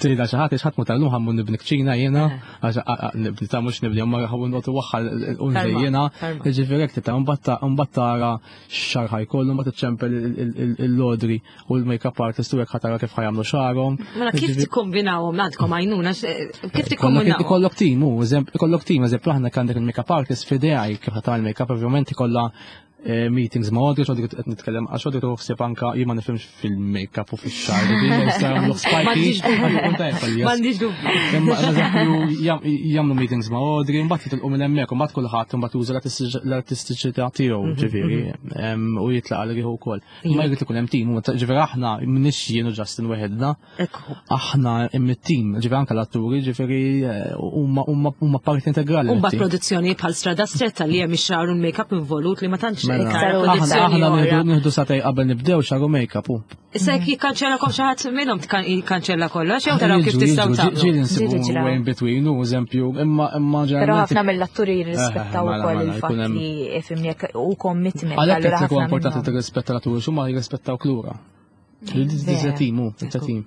[SPEAKER 5] tgħidha xi ħadd, ħadd tal-lum ħa mmur nibni kċina jiena, għax nibni ta' mhux nibni, imma ħa mmur noqgħod waħħal unżej jiena. Ġifieri hekk tibda mbagħad tara x'xagħar ħa jkollu, mbagħad iċċempel l-Audrey u l-makeup artist u hekk ħa tara kif ħa jagħmlu xagħarhom.
[SPEAKER 2] Mela kif tikkombinawhom għandkom għajnuna, kif tikkombinawhom?
[SPEAKER 5] Ikollok team, u ikollok team, eżempju aħna għandek il-makeup artist f'idejha kif ħa tagħmel make-up, ovvjament ikollha eh, meetings ma' Audrey, x'Audrey qed nitkellem, għax Audrey tuħseb anka jien ma nifhimx fil-make-up u fix-xagħar, ġifieri jagħmlu spiky,
[SPEAKER 2] M'għandix dubju.
[SPEAKER 5] Imma eżempju jagħmlu meetings ma' Audrey, mbagħad jitilqu minn hemmhekk, u mbagħad kulħadd mbagħad juża l-artistiċità tiegħu, ġifieri, u jitlaq għal riħu wkoll. Ma jrid ikun hemm team, ġifieri aħna m'iniex jien u Justin weħedna, aħna hemm it-team, ġifieri anke l-atturi, ġifieri huma huma parti integrali.
[SPEAKER 2] Mbagħad produzzjoni bħal Strada Stretta li hemm ix-xagħar u l-make-up involut li ma tantx
[SPEAKER 5] Mela, aħna nieħdu sagħtejn qabel nibdew xagħar u make-up u.
[SPEAKER 2] Issa jekk jikkanċellakom xi ħadd minnhom jikkanċella kollox jew taraw kif tistgħu tagħmlu.
[SPEAKER 5] Ġieli nsibu way in between, u eżempju, imma imma
[SPEAKER 3] Però ħafna mill-atturi jirrispettaw eh, ukoll mela, il-fatt li ifhimni u commitment.
[SPEAKER 5] Għalhekk qed ikun importanti tirrispetta l-atturi, x'huma jirrispettaw lura. It's team, it's a team.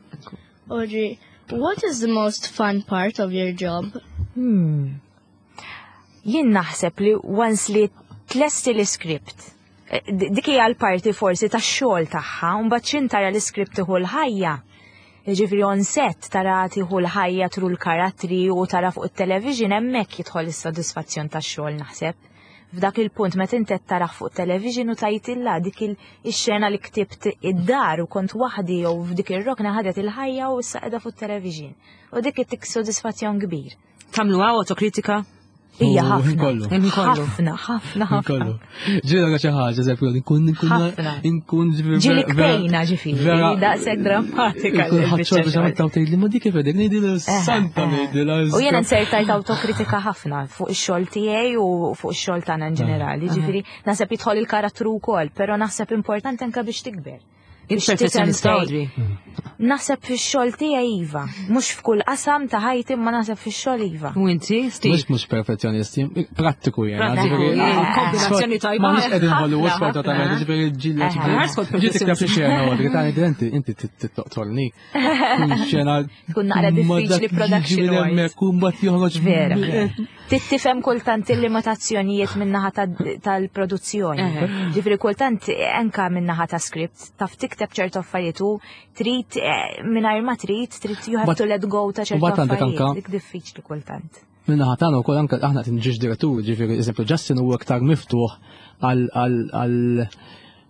[SPEAKER 8] Audrey, what is the most fun part of your job?
[SPEAKER 3] Hmm. Jien naħseb li once li tlesti l-script, eh, dik hija l-parti forsi tax-xogħol tagħha, u mbagħad x'in tara l-iskript tieħu l-ħajja. Ġifieri on set tara tieħu l-ħajja through l-karattri u tara fuq it-television, hemmhekk jidħol is-sodisfazzjon tax-xogħol, naħseb. F'dak il-punt meta inti qed tarah fuq television u tgħid dik il-xena li ktibt id-dar u kont waħdi jew f'dik ir-rokna ħadet il-ħajja u issa qiegħda fuq television. U dik ittik sodisfazzjon kbir.
[SPEAKER 2] Tagħmlu autokritika?
[SPEAKER 3] Ija,
[SPEAKER 5] U
[SPEAKER 3] ħafna.
[SPEAKER 5] kollu.
[SPEAKER 2] Ħin kollu.
[SPEAKER 3] Ħafna, ħafna, ħafna.
[SPEAKER 5] Kollu. Ġieli xi ħaġa, eżempju, nkun nkun
[SPEAKER 3] Ħafna.
[SPEAKER 5] nkun
[SPEAKER 3] Ġieli kbejna, ġifieri, daqshekk drammatika.
[SPEAKER 5] Nkun ħadxol biex
[SPEAKER 3] l-biċċa
[SPEAKER 5] għamilt tgħidli ma dik kif qegħdek ngħidilha, santa
[SPEAKER 3] Eh, eh.
[SPEAKER 5] ngħidilha.
[SPEAKER 3] U jiena nsertajt autokritika ħafna fuq ix-xogħol tiegħi u fuq ix-xogħol tagħna in ġenerali. Ġifieri naħseb jidħol il-karattru wkoll, però naħseb importanti anke biex tikber. Biex tifhem
[SPEAKER 2] Il-perfezzjonista,
[SPEAKER 3] fejn-
[SPEAKER 2] Audrey.
[SPEAKER 3] Naħseb fix-xogħol tiegħi iva, mhux f'kull qasam ta' ħajti, ma naħseb fix-xogħol iva.
[SPEAKER 2] U inti, Steve?
[SPEAKER 5] Mhux mhux perfezzjonisti, prattiku jiena.
[SPEAKER 2] Prattiku,
[SPEAKER 5] ġifieri,
[SPEAKER 2] eh, kombinazzjoni tajba.
[SPEAKER 5] Ma nix qegħdin Hollywood
[SPEAKER 3] Ħafna,
[SPEAKER 5] sfortunatament,
[SPEAKER 3] ħafna.
[SPEAKER 5] ġifieri ġieli
[SPEAKER 3] Eh,
[SPEAKER 5] ġifieri.
[SPEAKER 2] skont
[SPEAKER 5] Ġieli tikteb xi xena, Audrey, ta' inti inti toqtolni. Xena.
[SPEAKER 3] Tkun naqra
[SPEAKER 5] ma
[SPEAKER 3] diffiċli
[SPEAKER 5] dak jiġi
[SPEAKER 3] production
[SPEAKER 5] minn
[SPEAKER 3] wise.
[SPEAKER 5] hemmhekk u mbagħad joħroġ
[SPEAKER 3] Vera. Tifhem kultant il-limitazzjonijiet min-naħa tal-produzzjoni.
[SPEAKER 2] Eħe.
[SPEAKER 3] Ġifieri kultant anka min-naħa ta' script, taf tikteb ċertu affarijiet u trid eh, mingħajr ma trid, trid you have
[SPEAKER 5] But-
[SPEAKER 3] to let go ta' ċertu
[SPEAKER 5] u bat għandek
[SPEAKER 3] affarijiet.
[SPEAKER 5] anka-
[SPEAKER 3] Dik diffiċli kultant.
[SPEAKER 5] Min-naħa tagħna wkoll, anke aħna qed nġiex direttur, ġifieri eżempju Justin huwa aktar miftuħ għal għal għal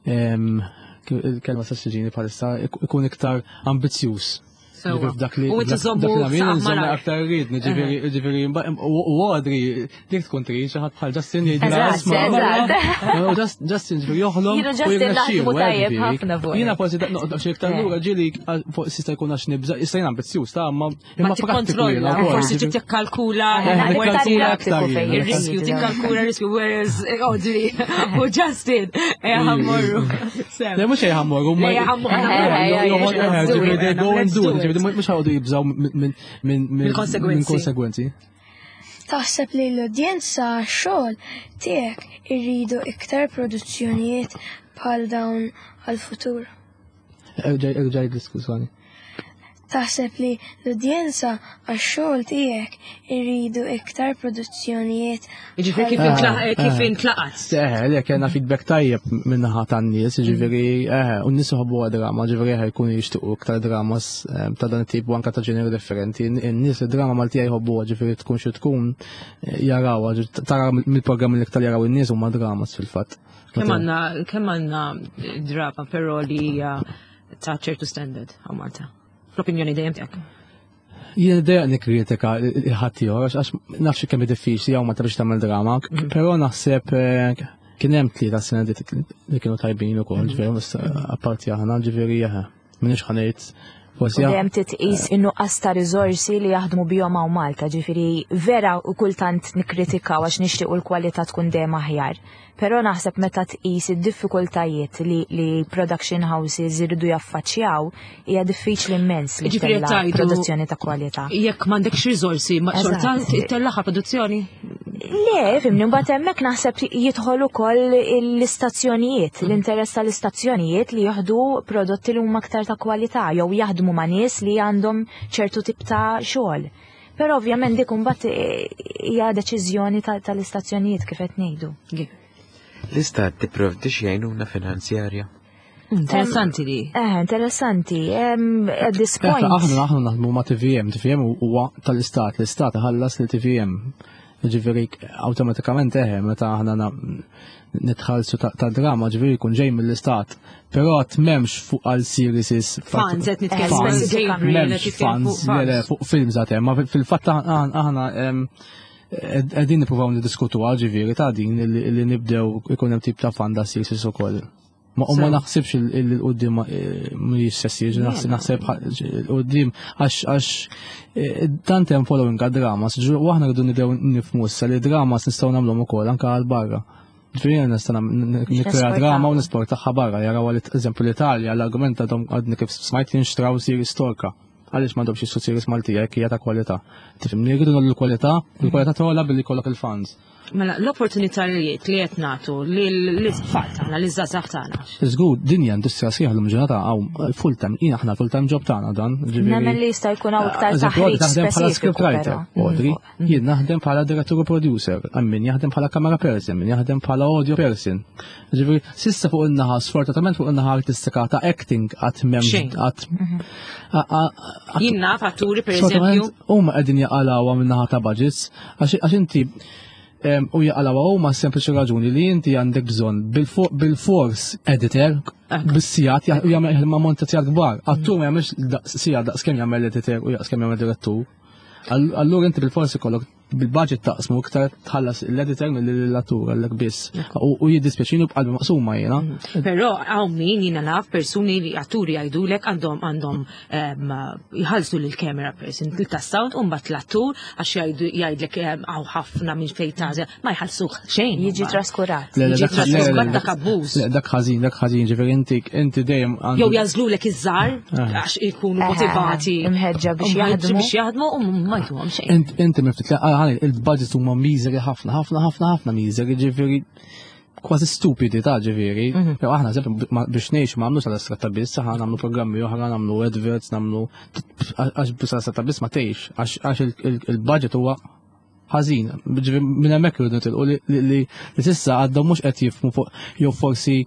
[SPEAKER 5] em, kif- il-kelma sa ġini bħalissa, ikun iktar ambizzjuż.
[SPEAKER 2] Sewwa.
[SPEAKER 5] Ġifieri f'dak li
[SPEAKER 2] U inti
[SPEAKER 5] dak-
[SPEAKER 2] żommu
[SPEAKER 5] dak li nagħmel,
[SPEAKER 2] saqaf
[SPEAKER 5] nżommu
[SPEAKER 2] malar.
[SPEAKER 5] aktar rridni, ġifieri ġifieri mba- u u Audrey dik tkun trid xi ħadd bħal Justin jgħidilha
[SPEAKER 3] Eżatt,
[SPEAKER 5] isma'
[SPEAKER 3] eżatt.
[SPEAKER 5] U Just- Justin ġifieri joħlom
[SPEAKER 3] Jiena
[SPEAKER 5] u
[SPEAKER 3] Justin
[SPEAKER 5] jirnexxielu,
[SPEAKER 3] naħdmu
[SPEAKER 5] eh,
[SPEAKER 3] tajjeb
[SPEAKER 5] ġifieri.
[SPEAKER 3] ħafna fuq.
[SPEAKER 5] Jiena forsi noqgħod xi iktar
[SPEAKER 3] Eh.
[SPEAKER 5] lura, ġieli fuq jista' jkun għax nibża, jista' jien ambizzjuż ta' ma
[SPEAKER 2] Ma
[SPEAKER 5] imma prattiku
[SPEAKER 2] tikkontrolla,
[SPEAKER 5] jiena wkoll,
[SPEAKER 2] forsi
[SPEAKER 5] ġifieri.
[SPEAKER 2] trid tikkalkula
[SPEAKER 3] Eh,
[SPEAKER 5] Eh,
[SPEAKER 3] iktar
[SPEAKER 5] nikkalkula
[SPEAKER 3] prattiku
[SPEAKER 5] aktar
[SPEAKER 3] fejn
[SPEAKER 5] jiena.
[SPEAKER 2] il-riskju, tikkalkula il-riskju, whereas eh, Audrey u Justin, eh, ħa mmorru.
[SPEAKER 5] Le, mhux ħa mmorru,
[SPEAKER 2] Le, ħa mmorru.
[SPEAKER 3] Eh, eh,
[SPEAKER 2] let's do it,
[SPEAKER 5] they go and
[SPEAKER 2] let's
[SPEAKER 5] do
[SPEAKER 2] do
[SPEAKER 5] it,
[SPEAKER 2] it.
[SPEAKER 5] ġifieri mhux ħa joqogħdu jibżgħu minn minn minn
[SPEAKER 2] Mill-konsegwenzi.
[SPEAKER 5] minn konsegwenzi.
[SPEAKER 9] Taħseb li l-udjenza xogħol tiegħek irridu iktar produzzjonijiet bħal dawn għal-futur?
[SPEAKER 5] Erġa' erġa' diskussjoni.
[SPEAKER 9] Taħseb li l-udjenza għax-xogħol tiegħek irridu iktar produzzjonijiet
[SPEAKER 2] Ġifieri kif
[SPEAKER 5] Ah,
[SPEAKER 2] intlaq- kif
[SPEAKER 5] eh.
[SPEAKER 2] intlaqat.
[SPEAKER 5] Eh, le, kellna feedback tajjeb min-naħa tan-nies, ġifieri, eh, u n-nies iħobbu drama, ġifieri eh, jkunu jixtiequ iktar dramas eh, ta' dan it-tip u anka ta' ġeneri differenti. In-nies id-drama Maltija jħobbuha, ġifieri tkun xi tkun eh, jarawha, ġifieri tara mill-programmi li iktar jaraw in-nies huma dramas fil-fatt.
[SPEAKER 2] Kemm għandna kemm għandna drama però li hija ta' ċertu standard hawn Malta? L-opinjoni dejjem tiegħek.
[SPEAKER 5] Jien dejjem nikkritika ħadd ieħor għax nafx kemm hi diffiċli hawn ma biex tagħmel drama, però naħseb eh, kien hemm tlieta sena li li kienu tajbin ukoll, ġifieri apparti aħna, ġifieri eħe, m'iniex ħa ngħid forsi
[SPEAKER 3] U dejjem titqis in-nuqqas ta' riżorsi li jaħdmu bihom hawn Malta, ġifieri vera u kultant nikkritikaw għax nixtiequ l-kwalità tkun dejjem aħjar. Però naħseb meta tqis id-diffikultajiet li, li production houses iridu jaffaċċjaw, hija diffiċli immens li
[SPEAKER 2] Ġifieri
[SPEAKER 3] ttella'
[SPEAKER 2] tgħidu-
[SPEAKER 3] produzzjoni ta' kwalità.
[SPEAKER 2] Jekk m'għandekx riżorsi, ma xorta
[SPEAKER 3] Eżatt.
[SPEAKER 2] ttellaha produzzjoni.
[SPEAKER 3] Le, fhimni, mbagħad hemmhekk naħseb jidħol ukoll l-istazzjonijiet, l-interess tal-istazzjonijiet li jieħdu prodotti li huma aktar ta' kwalità jew jaħdmu ma' nies li għandhom ċertu tip ta' xogħol. Però ovvjament dik imbagħad eh, hija deċiżjoni ta- tal-istazzjonijiet, kif qed ngħidu.
[SPEAKER 6] L-istat tipprovdi xi għajnuna finanzjarja?
[SPEAKER 2] Interessanti li.
[SPEAKER 3] Eh, interessanti. Em, at this point.
[SPEAKER 5] Aħna aħna naħdmu ma' T V M, T V M huwa tal-istat, l-istat ħallas li T V M. Ġifieri awtomatikament eħe, meta aħna na- nitħallsu ta' ta' drama, ġifieri jkun ġej mill-istat. Però għad m'hemmx fuq għal series.
[SPEAKER 2] Funds, qed nitkellmu
[SPEAKER 5] Funds,
[SPEAKER 2] Gabriel, qed
[SPEAKER 5] m'hemmx
[SPEAKER 2] nitkellmu
[SPEAKER 5] funds,
[SPEAKER 2] fuq
[SPEAKER 5] le, le, fuq films għad hemm, ma fil-fatt aħna aħna em, qegħdin nippruvaw niddiskutu ġifieri ta' din li li nibdew ikun hemm tip ta' fund għal series ukoll. Ma u ma
[SPEAKER 2] So-
[SPEAKER 5] naħsibx il-qoddim mhijiex se ssir, naħseb naħseb il-qoddim għax għax eh, tant hemm following għad dramas, u aħna rridu nibdew nifhmu issa li dramas nistgħu nagħmluhom ukoll anke għal barra. Ġifieri jiena nista' nikkrea
[SPEAKER 3] Nesportaw.
[SPEAKER 5] drama u nesportaha barra, jaraw għal eżempju l-Italja, l-argument għadhom għadni kif smajt jinxtraw series Torka. Għaliex m'għandhomx jixtru series Maltija jekk hija ta' kwalità? Tifhimni, jridu nagħmlu l-kwalità, il-kwalità togħla billi jkollok il-funds.
[SPEAKER 2] Mela, l-opportunitajiet li qed nagħtu lill-tfal tagħna, liż-żgħażagħ tagħna.
[SPEAKER 5] Żgur, dinja industrija sħiħa l ġurnata hawn full time, jien aħna full time job tagħna dan. ġifieri-
[SPEAKER 3] Nemmen li jista' jkun hawn iktar
[SPEAKER 5] Eżempju,
[SPEAKER 3] taħriġ
[SPEAKER 5] taħdem bħala
[SPEAKER 3] speċifiku.
[SPEAKER 5] scriptwriter,
[SPEAKER 3] però.
[SPEAKER 5] Audrey, jien naħdem bħala director u producer, min jaħdem bħala camera person, min jaħdem bħala audio person. Ġifieri, s'issa fuq in-naħa, sfortunatament fuq in-naħa artistika ta' acting għad m'hemmx
[SPEAKER 2] Xejn.
[SPEAKER 5] għad
[SPEAKER 2] Jien naf atturi per eżempju.
[SPEAKER 5] Sfortunatament, huma qegħdin jaqalgħuha min-naħa ta' budgets, għax għax inti em, u jaqalgħuha huma sempliċi raġuni li inti għandek bżonn bil-fo- bil-fors editor bis-sigħat u jagħmel ma' monta sigħat kbar. Attur ma jagħmilx daqs sigħat daqs kemm jagħmel editor u daqs kemm jagħmel direttur. All- Allura inti bil-forsi kollok bil-budget taqsmu iktar tħallas l-editor mill-attur għallek biss. U u jiddispjaċini b'qalbi maqsuma jiena.
[SPEAKER 2] Però hawn min jiena naf persuni li atturi jgħidulek għandhom għandhom em, jħallsu lil camera person ta' sound u mbagħad l-attur għax jgħidu jgħidlek em, hawn ħafna minn fejn tagħżel ma jħallsuh xejn.
[SPEAKER 3] Jiġi traskurat.
[SPEAKER 5] Le, le,
[SPEAKER 2] Jiġi
[SPEAKER 5] dak- le, le,
[SPEAKER 2] traskurat
[SPEAKER 5] le,
[SPEAKER 2] dak abbuż.
[SPEAKER 5] Le, dak ħażin, dak ħażin, ġifieri inti inti dejjem għandu-
[SPEAKER 2] Jew jażlulek iż-żgħar
[SPEAKER 5] Ah.
[SPEAKER 2] għax ikunu
[SPEAKER 3] Eħe,
[SPEAKER 2] motivati.
[SPEAKER 3] imħeġġa biex
[SPEAKER 2] Imħeġġa
[SPEAKER 3] jaħdmu.
[SPEAKER 2] biex jaħdmu u ma jtuhom xejn.
[SPEAKER 5] Int- Inti miftit li għani il-budget huma miżeri ħafna, ħafna, ħafna, ħafna miżeri, ġifieri kważi stupidi ta' ġifieri. Però aħna eżempju ma- biex ngħixu ma nagħmlux għal biss, aħna nagħmlu programmi oħra, nagħmlu adverts, nagħmlu għax biss għal biss ma tgħix, għax għax il- il- il-budget huwa ħażin. Ġifieri minn hemmhekk irridu nitilqu li li li li s'issa għadhom mhux qed jifhmu fuq jew forsi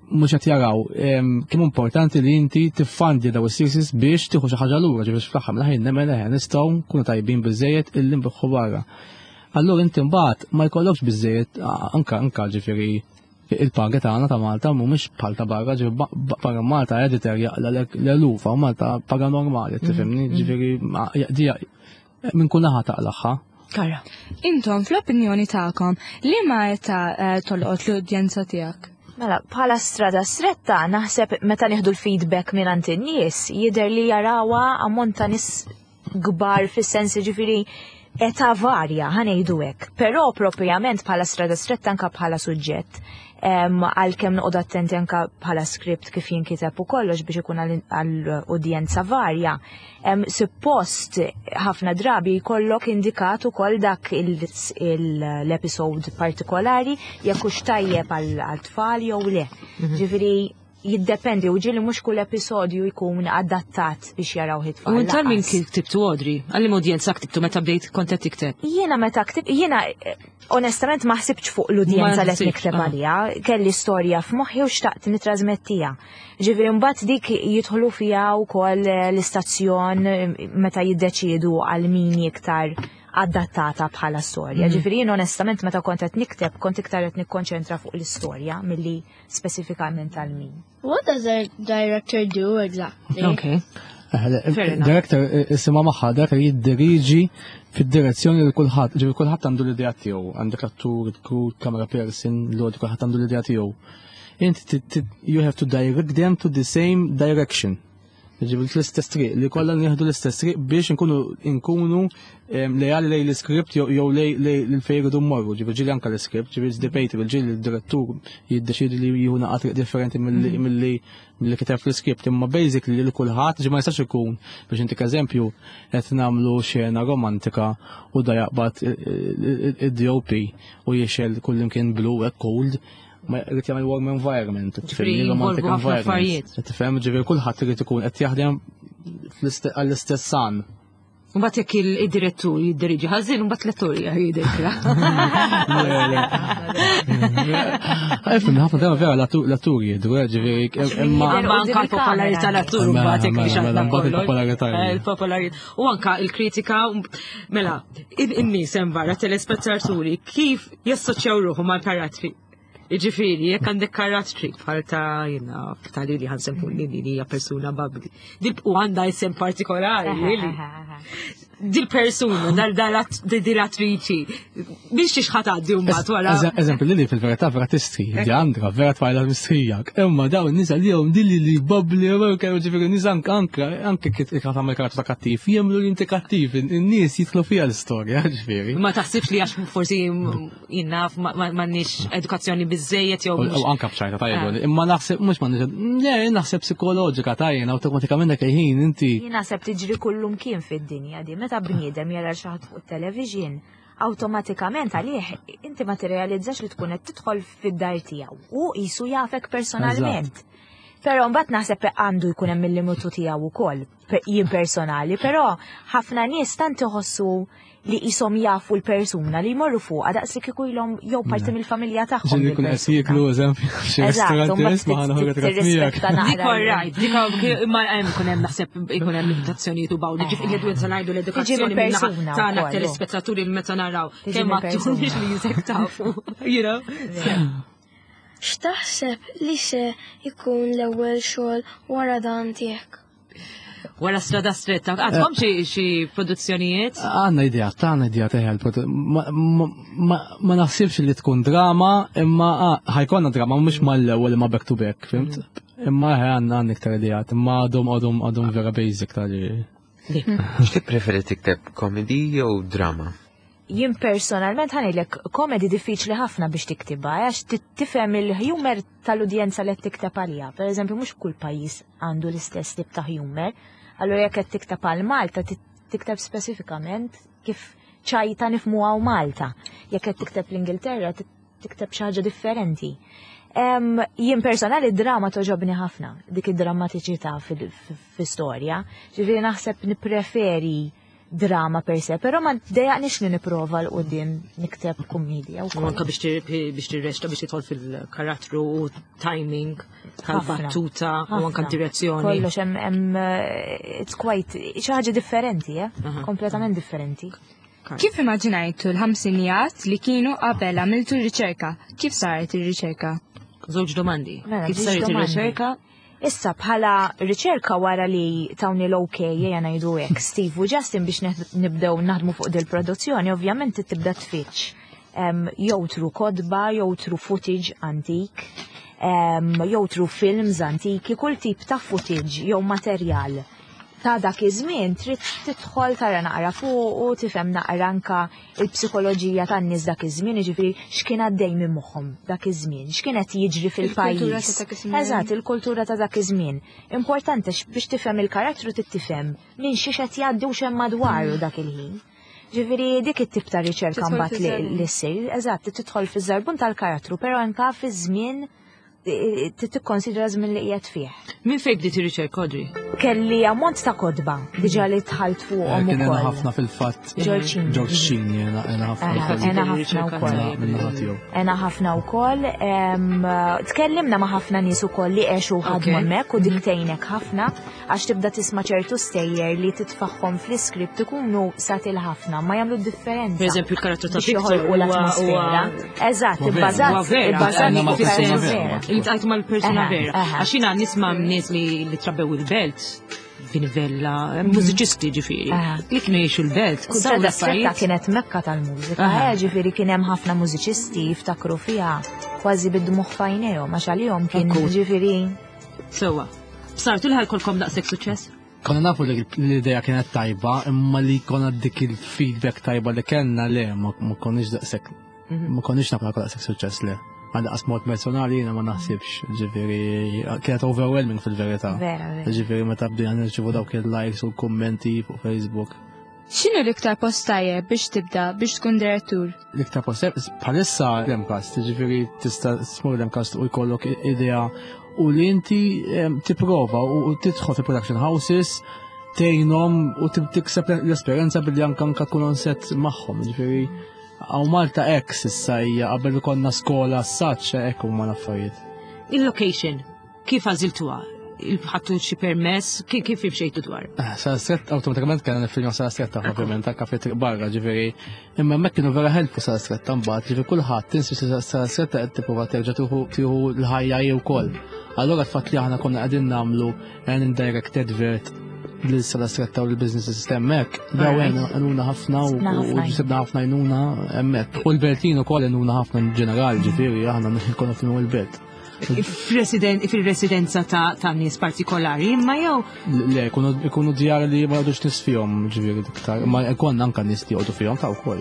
[SPEAKER 5] mhux qed jaraw em, kemm importanti li inti tiffandi daw is-series biex tieħu xi ħaġa lura, ġifieri fl-aħħar mill-ħin nemmen eħe nistgħu nkunu tajbin biżejjed illi nbiħħu barra. Allura inti mbagħad ma jkollokx biżejjed anka anka ġifieri il-paga tagħna ta' Malta mhumiex bħal ta' barra, ġifieri ba- ba- barra Malta editor jaqla l-eluf, u Malta paga normali, tifhimni, ġifieri ma- dija minn kull naħa taqlaħħa.
[SPEAKER 2] Kara.
[SPEAKER 7] Intom, fl-opinjoni tagħkom, li ma età eh, tolqot l-udjenza tiegħek?
[SPEAKER 3] Mela, bħala strada stretta, naħseb meta nieħdu l-feedback minn għand in-nies, jidher li jarawha ammont ta' nies kbar fis-sens ġifieri età varja, ħa ngħidu hekk. Però propjament bħala strada stretta anka bħala suġġett. em, Għalkemm noqgħod attenti anka bħala script kif jinkiteb u kollox biex ikun għall-udjenza varja. Em, Suppost ħafna drabi jkollok indikat ukoll dak il- il- l-episode partikolari jekk hux tajjeb għal tfal jew le. Ġifieri jiddependi u ġieli mhux kull episodju jkun adattat biex jaraw it-tfal.
[SPEAKER 2] U intal minn
[SPEAKER 3] lanqas.
[SPEAKER 2] ktibtu Audrey, għal udjenza ktibtu meta bdejt kont qed tikteb.
[SPEAKER 3] Jiena meta ktib, jiena eh, onestament ma ħsibx fuq l-udjenza
[SPEAKER 2] Ma
[SPEAKER 3] li qed
[SPEAKER 2] ħsibx,
[SPEAKER 3] nikteb
[SPEAKER 2] ah.
[SPEAKER 3] għalija, kelli storja f'moħħi u xtaqt nitrasmettiha. Ġifieri mbagħad dik jidħlu fiha wkoll eh, l-istazzjon eh, meta jiddeċiedu għal min iktar adattata bħala storja. Ġifieri jien onestament meta kont qed nikteb kont iktar qed nikkonċentra fuq l-istorja milli speċifikament għal min.
[SPEAKER 8] What does a director do exactly?
[SPEAKER 2] Okay. Fair enough.
[SPEAKER 5] Director isima magħha, director jiddiriġi fid-direzzjoni li kulħadd, ġifieri kulħadd għandu l-idea tiegħu, għandek l-attur, il-crew, camera person, l-audio, kulħadd għandu l-idea tiegħu. Inti ti- ti- you have to direct them to the same direction. Ġifieri l-istess triq, li kollha nieħdu l-istess triq biex nkunu nkunu em, lejali lej l-script jew jew lej lej l-fejn iridu mmorru, ġifieri ġieli anke l-script, ġifieri it's debatable, ġieli l-direttur jiddeċidi li jieħu naqa triq differenti milli milli milli kiteb fl-script, imma basically li kulħadd ġi ma jistax ikun biex intik eżempju qed nagħmlu xena romantika u da jaqbad id-D O P u jixgħel kullimkien blue hekk cold, ma jrid jagħmel warm environment,
[SPEAKER 2] Ġifieri
[SPEAKER 5] romantic
[SPEAKER 2] jinvolvu ħafna
[SPEAKER 5] environment.
[SPEAKER 2] affarijiet.
[SPEAKER 5] Tifhem, ġifieri kulħadd irid ikun qed jaħdem fl-iste- għall-istess san.
[SPEAKER 2] Mbagħad jekk il-direttur jiddiriġi ħażin, mbagħad l-attur jgħidek.
[SPEAKER 5] Ifhem, ħafna drabi vera l-attur jidru, ġifieri imma
[SPEAKER 3] Jidher
[SPEAKER 2] Ma anka l-popolarità l-attur
[SPEAKER 5] Mela,
[SPEAKER 2] mbagħad jekk
[SPEAKER 5] mela,
[SPEAKER 2] biex
[SPEAKER 5] mela,
[SPEAKER 2] għandna
[SPEAKER 5] mbagħad
[SPEAKER 2] kollox.
[SPEAKER 5] il-popolarità.
[SPEAKER 2] Eh, Il-popolarità. U anka il-kritika, mela, in-nies hemm barra telespettaturi kif jassoċjaw ruħu mal-karattri. Iġifieri, jekk għandek karattri bħal ta' jiena ta' li li ħansempu li li hija persuna bubbly. Dil u għandha isem partikolari, li. Dil persuna, dal dil attriċi, biex xiex ħa tgħaddi mbagħad wara.
[SPEAKER 5] Eżempju, Lili fil-verità vera tistri, di Andra vera tfajla mistrija. Imma daw n-nisa li jom dilli li bubbly, kellu ġifieri n-nisa anke anke anke kif tagħmel karattru ta' kattiv, jemmnu li inti kattiv, in-nies jidħlu fiha l-istorja, ġifieri.
[SPEAKER 2] Ma taħsibx li għax forsi jiena m'għandniex edukazzjoni biżejjed jew
[SPEAKER 5] U
[SPEAKER 2] mhux-
[SPEAKER 5] anka bċajta tajjeb, imma naħseb mhux ma le naħseb psikoloġika tajjeb, awtomatikament dak il-ħin inti
[SPEAKER 3] Jien naħseb tiġri kullum kien fid-dinja di, meta bniedem jara xi ħadd fuq television, Awtomatikament għalih inti ma tirrealizzax li tkun qed tidħol fid-dar tiegħu u qisu jafek personalment. Però mbagħad naħseb għandu jkun hemm il-limitu tiegħu wkoll, pe- jien personali, però ħafna nies tant iħossu li qishom jafu l-persuna li jmorru fuqha daqs li kieku ilhom jew parti mill-familja tagħhom.
[SPEAKER 5] Ġieli kun qed jieklu, eżempju, xi
[SPEAKER 3] Eżatt,
[SPEAKER 5] ristorant
[SPEAKER 3] u mbagħad
[SPEAKER 5] isma' ħa nieħu ritratt miegħek.
[SPEAKER 3] tirrispetta
[SPEAKER 2] Dik
[SPEAKER 3] naqra.
[SPEAKER 2] all right, dik imma hemm ikun hemm naħseb ikun hemm limitazzjonijiet u bawdi, ġifieri li qed ngħidu l-edukazzjoni
[SPEAKER 3] Tiġi mill-persuna
[SPEAKER 2] min-naħa tagħna
[SPEAKER 3] wkoll.
[SPEAKER 2] telespettaturi meta naraw
[SPEAKER 3] Tiġi
[SPEAKER 2] kemm
[SPEAKER 3] mill-persuna.
[SPEAKER 2] atturi li jisek tafu, you know?
[SPEAKER 9] X'taħseb li se jkun l-ewwel xogħol wara dan tiegħek?
[SPEAKER 2] Wara Strada Stretta, għandkom xi xi produzzjonijiet?
[SPEAKER 5] Għandna idea, għandna idea teħel. Ma, ma, ma, ma naħsibx li tkun drama, imma ah, ħa jkollna drama, mhux mal-ewwel imma back to back, fhimt? Imma ħe għandna għandna iktar ideat, imma għadhom għadhom għadhom vera basic tal
[SPEAKER 6] X'tippreferi tikteb, comedy jew drama?
[SPEAKER 3] Jien personalment ħa ngħidlek, comedy diffiċli ħafna biex tiktibha, għax ti- tifhem il-humor tal-udjenza li qed tikteb għalija. Per eżempju, mhux kull pajjiż għandu l-istess tip ta' humor. Allura jekk qed tikteb għal Malta, ti- tikteb speċifikament kif ċajta nifhmu hawn Malta. Jekk qed tikteb l-Ingilterra, ti- tikteb xi ħaġa differenti. Em, Jien personali drama togħġobni ħafna, dik id-drammatiċità fil-istorja. Ġifieri naħseb nippreferi drama per se, però ma ddejjaqnix li nipprova 'l quddiem nikteb kummedja
[SPEAKER 2] U
[SPEAKER 3] wkoll.
[SPEAKER 2] anka biex tir- biex tirreċta, biex tidħol fil-karattru u timing tal-battuta u anka
[SPEAKER 3] Ħafna.
[SPEAKER 2] direzzjoni.
[SPEAKER 3] Kollox hemm hemm eh, it's quite xi ħaġa differenti, eh? Kompletament differenti.
[SPEAKER 7] Kif immaġinajtu l-ħamsinijat li kienu qabel għamiltu r-riċerka? Kif saret ir-riċerka?
[SPEAKER 2] Żewġ domandi.
[SPEAKER 3] Mela,
[SPEAKER 2] Kif
[SPEAKER 3] żewġ
[SPEAKER 2] saret
[SPEAKER 3] domandi.
[SPEAKER 2] ir-riċerka?
[SPEAKER 3] Issa bħala riċerka wara li tawni l-OK jena ngħidu hekk Steve u Justin biex neħ- nibdew naħdmu fuq dil-produzzjoni, ovvjament tibda tfittx. Em, Jew through kotba, jew through footage antik, em, jew through films antiki, kull tip ta' footage jew materjal ta' dak iż-żmien trid tidħol tara naqra fuq u tifhem naqra anka il-psikoloġija tan-nies dak iż-żmien, jiġifieri x'kien għaddej minn moħħhom dak iż-żmien, x'kien qed jiġri fil-pajjiż.
[SPEAKER 7] Il-kultura ta' dak iż-żmien.
[SPEAKER 3] Eżatt, il-kultura ta' dak iż-żmien. Importanti x- biex tifhem il-karattru trid tifhem minn xiex qed jgħaddi u x'hemm madwaru dak il-ħin. Ġifieri dik it-tip ta' riċerka
[SPEAKER 7] Tidħol
[SPEAKER 3] mbagħad li
[SPEAKER 7] fiż-żarbun.
[SPEAKER 3] li ssir, eżatt, tidħol fiż-żarbun tal-karattru, però anka fiż-żmien eh, tikkonsidra żmien li qiegħed fih.
[SPEAKER 2] Minn fejn bdiet ir-riċerka, Audrey?
[SPEAKER 3] Kelli ammont ta' kotba diġà li dħalt fuqhom
[SPEAKER 5] Kien
[SPEAKER 3] ukoll.
[SPEAKER 5] ħafna fil-fatt.
[SPEAKER 3] George Cini.
[SPEAKER 5] George Cini, jena jena ħafna.
[SPEAKER 3] Aha,
[SPEAKER 5] wkoll.
[SPEAKER 3] Għena ħafna wkoll.
[SPEAKER 5] Minna tiegħu.
[SPEAKER 3] Għena ħafna wkoll. em, Tkellimna ma' ħafna nies ukoll li għexu ħadmu
[SPEAKER 2] Ok.
[SPEAKER 3] hemmhekk u dik tgħinek ħafna għax tibda tisma' ċertu stejjer li titfagħhom fl-iskript ikunu satil ħafna ma jagħmlu differenza.
[SPEAKER 2] Per eżempju, il-karattru ta'
[SPEAKER 3] biex
[SPEAKER 2] Victor
[SPEAKER 3] joħolqu
[SPEAKER 2] huwa-
[SPEAKER 3] l-atmosfera.
[SPEAKER 2] huwa-
[SPEAKER 3] Eżatt,
[SPEAKER 5] Huwa vera.
[SPEAKER 3] ibbażat
[SPEAKER 2] Huwa vera,
[SPEAKER 3] ibbażat
[SPEAKER 5] Għandna
[SPEAKER 3] fuq
[SPEAKER 5] ma'
[SPEAKER 3] persuna
[SPEAKER 5] persuna
[SPEAKER 3] vera.
[SPEAKER 5] vera.
[SPEAKER 2] Iltqajt mal-persuna
[SPEAKER 3] Aha,
[SPEAKER 2] vera.
[SPEAKER 3] aha.
[SPEAKER 2] Għax jiena nisma' nies li li trabbew il-belt, Vinivella, mużiċisti ġifieri,
[SPEAKER 3] Aha.
[SPEAKER 2] li kienu jgħixu l-belt. Kull dawn
[SPEAKER 3] Strada Stretta
[SPEAKER 2] l-affarijiet.
[SPEAKER 3] kienet mekka tal-mużika,
[SPEAKER 2] Aha.
[SPEAKER 3] eh, ġifieri kien hemm ħafna mużiċisti jiftakru fiha kważi bid-dmugħ f'għajnejhom għax għalihom kien
[SPEAKER 2] Ekku.
[SPEAKER 3] ġifieri
[SPEAKER 2] Sewwa. Sartu li ħa jkollkom daqshekk suċċess?
[SPEAKER 5] Konna nafu li l-idea kienet tajba, imma li konna dik il-feedback tajba li kellna le, ma ma konniex daqshekk, ma konniex nafu daqshekk suċċess le. Għal qas mod personali jiena ma naħsibx, ġifieri, kienet overwhelming fil-verità.
[SPEAKER 3] vera vera.
[SPEAKER 5] Ġifieri meta bdejna nirċivu dawk il-likes u l-kummenti fuq Facebook.
[SPEAKER 7] X'inhu l-iktar post tajjeb biex tibda biex tkun direttur?
[SPEAKER 5] L-iktar post bħalissa l-MCAST, ġifieri tista' tmur l-MCAST u jkollok idea u li inti em, tipprova u u tidħol fi production houses tgħinhom u tib- tikseb l-esperjenza billi anka anka tkun on set magħhom, ġifieri hawn Malta X issa hija qabel konna skola s-saċ hekk huma l-affarijiet.
[SPEAKER 2] Il-location, kif għażiltuha? Ħadtu xi permess, kif kif imxejtu dwar?
[SPEAKER 5] Strada Stretta, automatikament kellna nifilmjaw Strada Stretta, ovvjament, anka fi triq barra, ġifieri. Imma hemmhekk kienu vera helpful Strada Stretta mbagħad, ġifieri kulħadd tinsi Strada Stretta qed tipprova terġa' tieħu tieħu l-ħajja hi wkoll. Allura l-fatt li aħna konna qegħdin nagħmlu an indirect advert lil Strada Stretta u l-business hemmhekk, daw għenuna ħafna u
[SPEAKER 3] Sibna ħafna
[SPEAKER 5] u ġibna ħafna għajnuna hemmhekk. U l-Beltin ukoll għenuna ħafna in ġenerali, ġifieri aħna konna filmu l-belt.
[SPEAKER 2] Fil-residenza ta' ta' nies partikolari, imma jew
[SPEAKER 5] Le, ikunu djar li ma jgħodux nies fihom, ġifieri iktar. Ma jkun anka nies li jgħodu fihom ta' wkoll.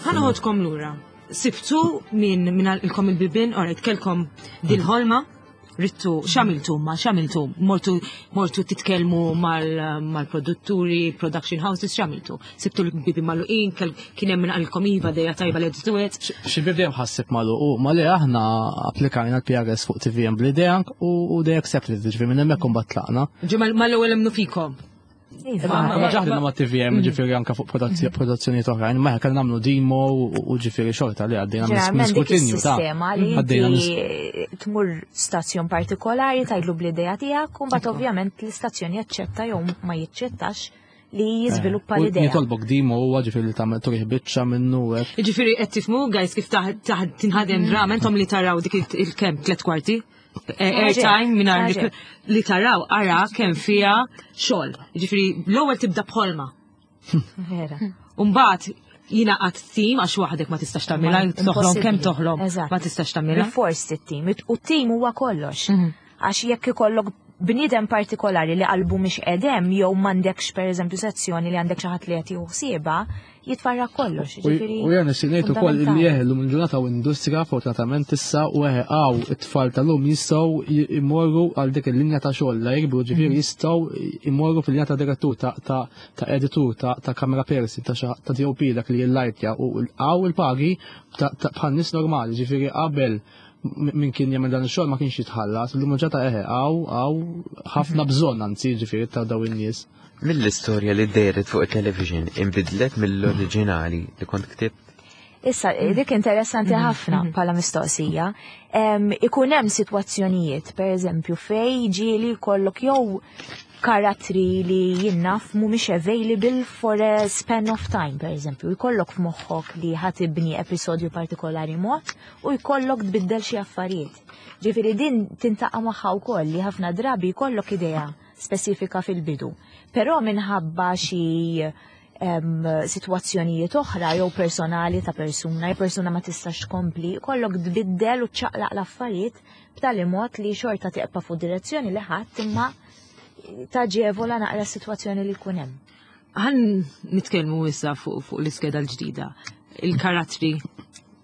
[SPEAKER 2] ħa noħodkom lura. Sibtu minn minn għalqilkom il-bibien, alright, kellkom dil-ħolma, Rittu, x'għamiltu ma x'għamiltu? Mortu mortu titkellmu mal-produtturi, production houses, x'għamiltu? Sibtu l-bibi magħluqin, kien hemm min qalilkom iva idea tajba let's do it.
[SPEAKER 5] Xi bib dejjem ħassib magħluq u ma li aħna applikajna l-P R S fuq T V M bl-idea u u they accepted, ġifieri minn hemmhekk imbagħad tlaqna.
[SPEAKER 2] Ġi mal-ewwel emmnu fikom.
[SPEAKER 3] Iva.
[SPEAKER 5] Ma ġaħdina ma' T V M, ġifieri anka fuq produzzjonijiet oħrajn, ma kellna nagħmlu demo u ġifieri xorta li għaddejna minn
[SPEAKER 3] Ġeneralment dik
[SPEAKER 5] skrutinju ta'
[SPEAKER 3] is-sistema li
[SPEAKER 5] għaddejna
[SPEAKER 3] inti tmur stazzjon partikolari tgħidlu bl-idea tiegħek u mbagħad ovvjament l-istazzjon jaċċetta jew ma jiċċettax li jiżviluppa
[SPEAKER 5] U
[SPEAKER 3] l-idea.
[SPEAKER 5] Jitolbok demo huwa ġifieri li tagħmel turih biċċa minnu hekk.
[SPEAKER 2] Ġifieri qed tifhmu, guys, kif taħ tinħadem drama, intom li taraw dik il-kemm tliet kwarti eh, airtime mingħajr li taraw ara kemm fiha xogħol. Ġifieri l-ewwel tibda bħolma.
[SPEAKER 3] Vera.
[SPEAKER 2] Umbagħad jingħaqad team għax waħdek ma tistax tagħmilha, toħlom kemm toħlom, ma tistax tagħmilha.
[SPEAKER 3] Bil-fors it-team, u t-team huwa kollox. Għax jekk ikollok bniedem partikolari li qalbu mhix edem jew m'għandekx pereżempju sezzjoni li għandek xi ħadd li qed jieħu ħsiebha, jitfarrak kollox.
[SPEAKER 5] U
[SPEAKER 3] Ġifieri
[SPEAKER 5] u jena ngħid ukoll li
[SPEAKER 3] fundamentali.
[SPEAKER 5] jeħe llum il-ġurnata u industrija fortunatament issa u eħe għaw it-tfal tal-lum jistgħu imorru għal dik il-linja ta' xogħol la jikbru, ġifieri jistgħu imorru fil-linja ta' direttur, ta' ta' ta' editur, ta' ta' camera person, ta' xa- ta' D O P, dak li jillajtja, u għaw il-pagi ta' ta' bħal nies normali, ġifieri qabel m- min kien jagħmel dan ix-xogħol ma kienx jitħallas, illum il-ġurnata eħe għaw għaw ħafna bżonn anzi ġifieri ta' daw in-nies.
[SPEAKER 6] Mill-istorja li dehret fuq il-television inbidlet mill-oriġinali li kont ktibt?
[SPEAKER 3] Issa, dik interessanti ħafna bħala mistoqsija. Em, Ikun hemm sitwazzjonijiet, per eżempju, fej ġieli jkollok jew karattri li jien naf mhumiex available for a span of time, per eżempju. Jkollok f'moħħok li ħa tibni episodju partikolari mod u jkollok tbiddel xi affarijiet. Ġifieri din tiltaqa' magħha wkoll li ħafna drabi jkollok idea spesifika fil-bidu. Però minħabba xi em, situazzjonijiet oħra jew personali ta' persuna, jew persuna ma tistax tkompli, kollok tbiddel u ċaqlaq l-affarijiet b'tali mod li xorta teqpa fuq direzzjoni li ħadd imma taġevola naqra s-sitwazzjoni li jkun hemm.
[SPEAKER 2] Ħa nitkellmu issa fuq fuq l-iskeda l-ġdida. Il-karattri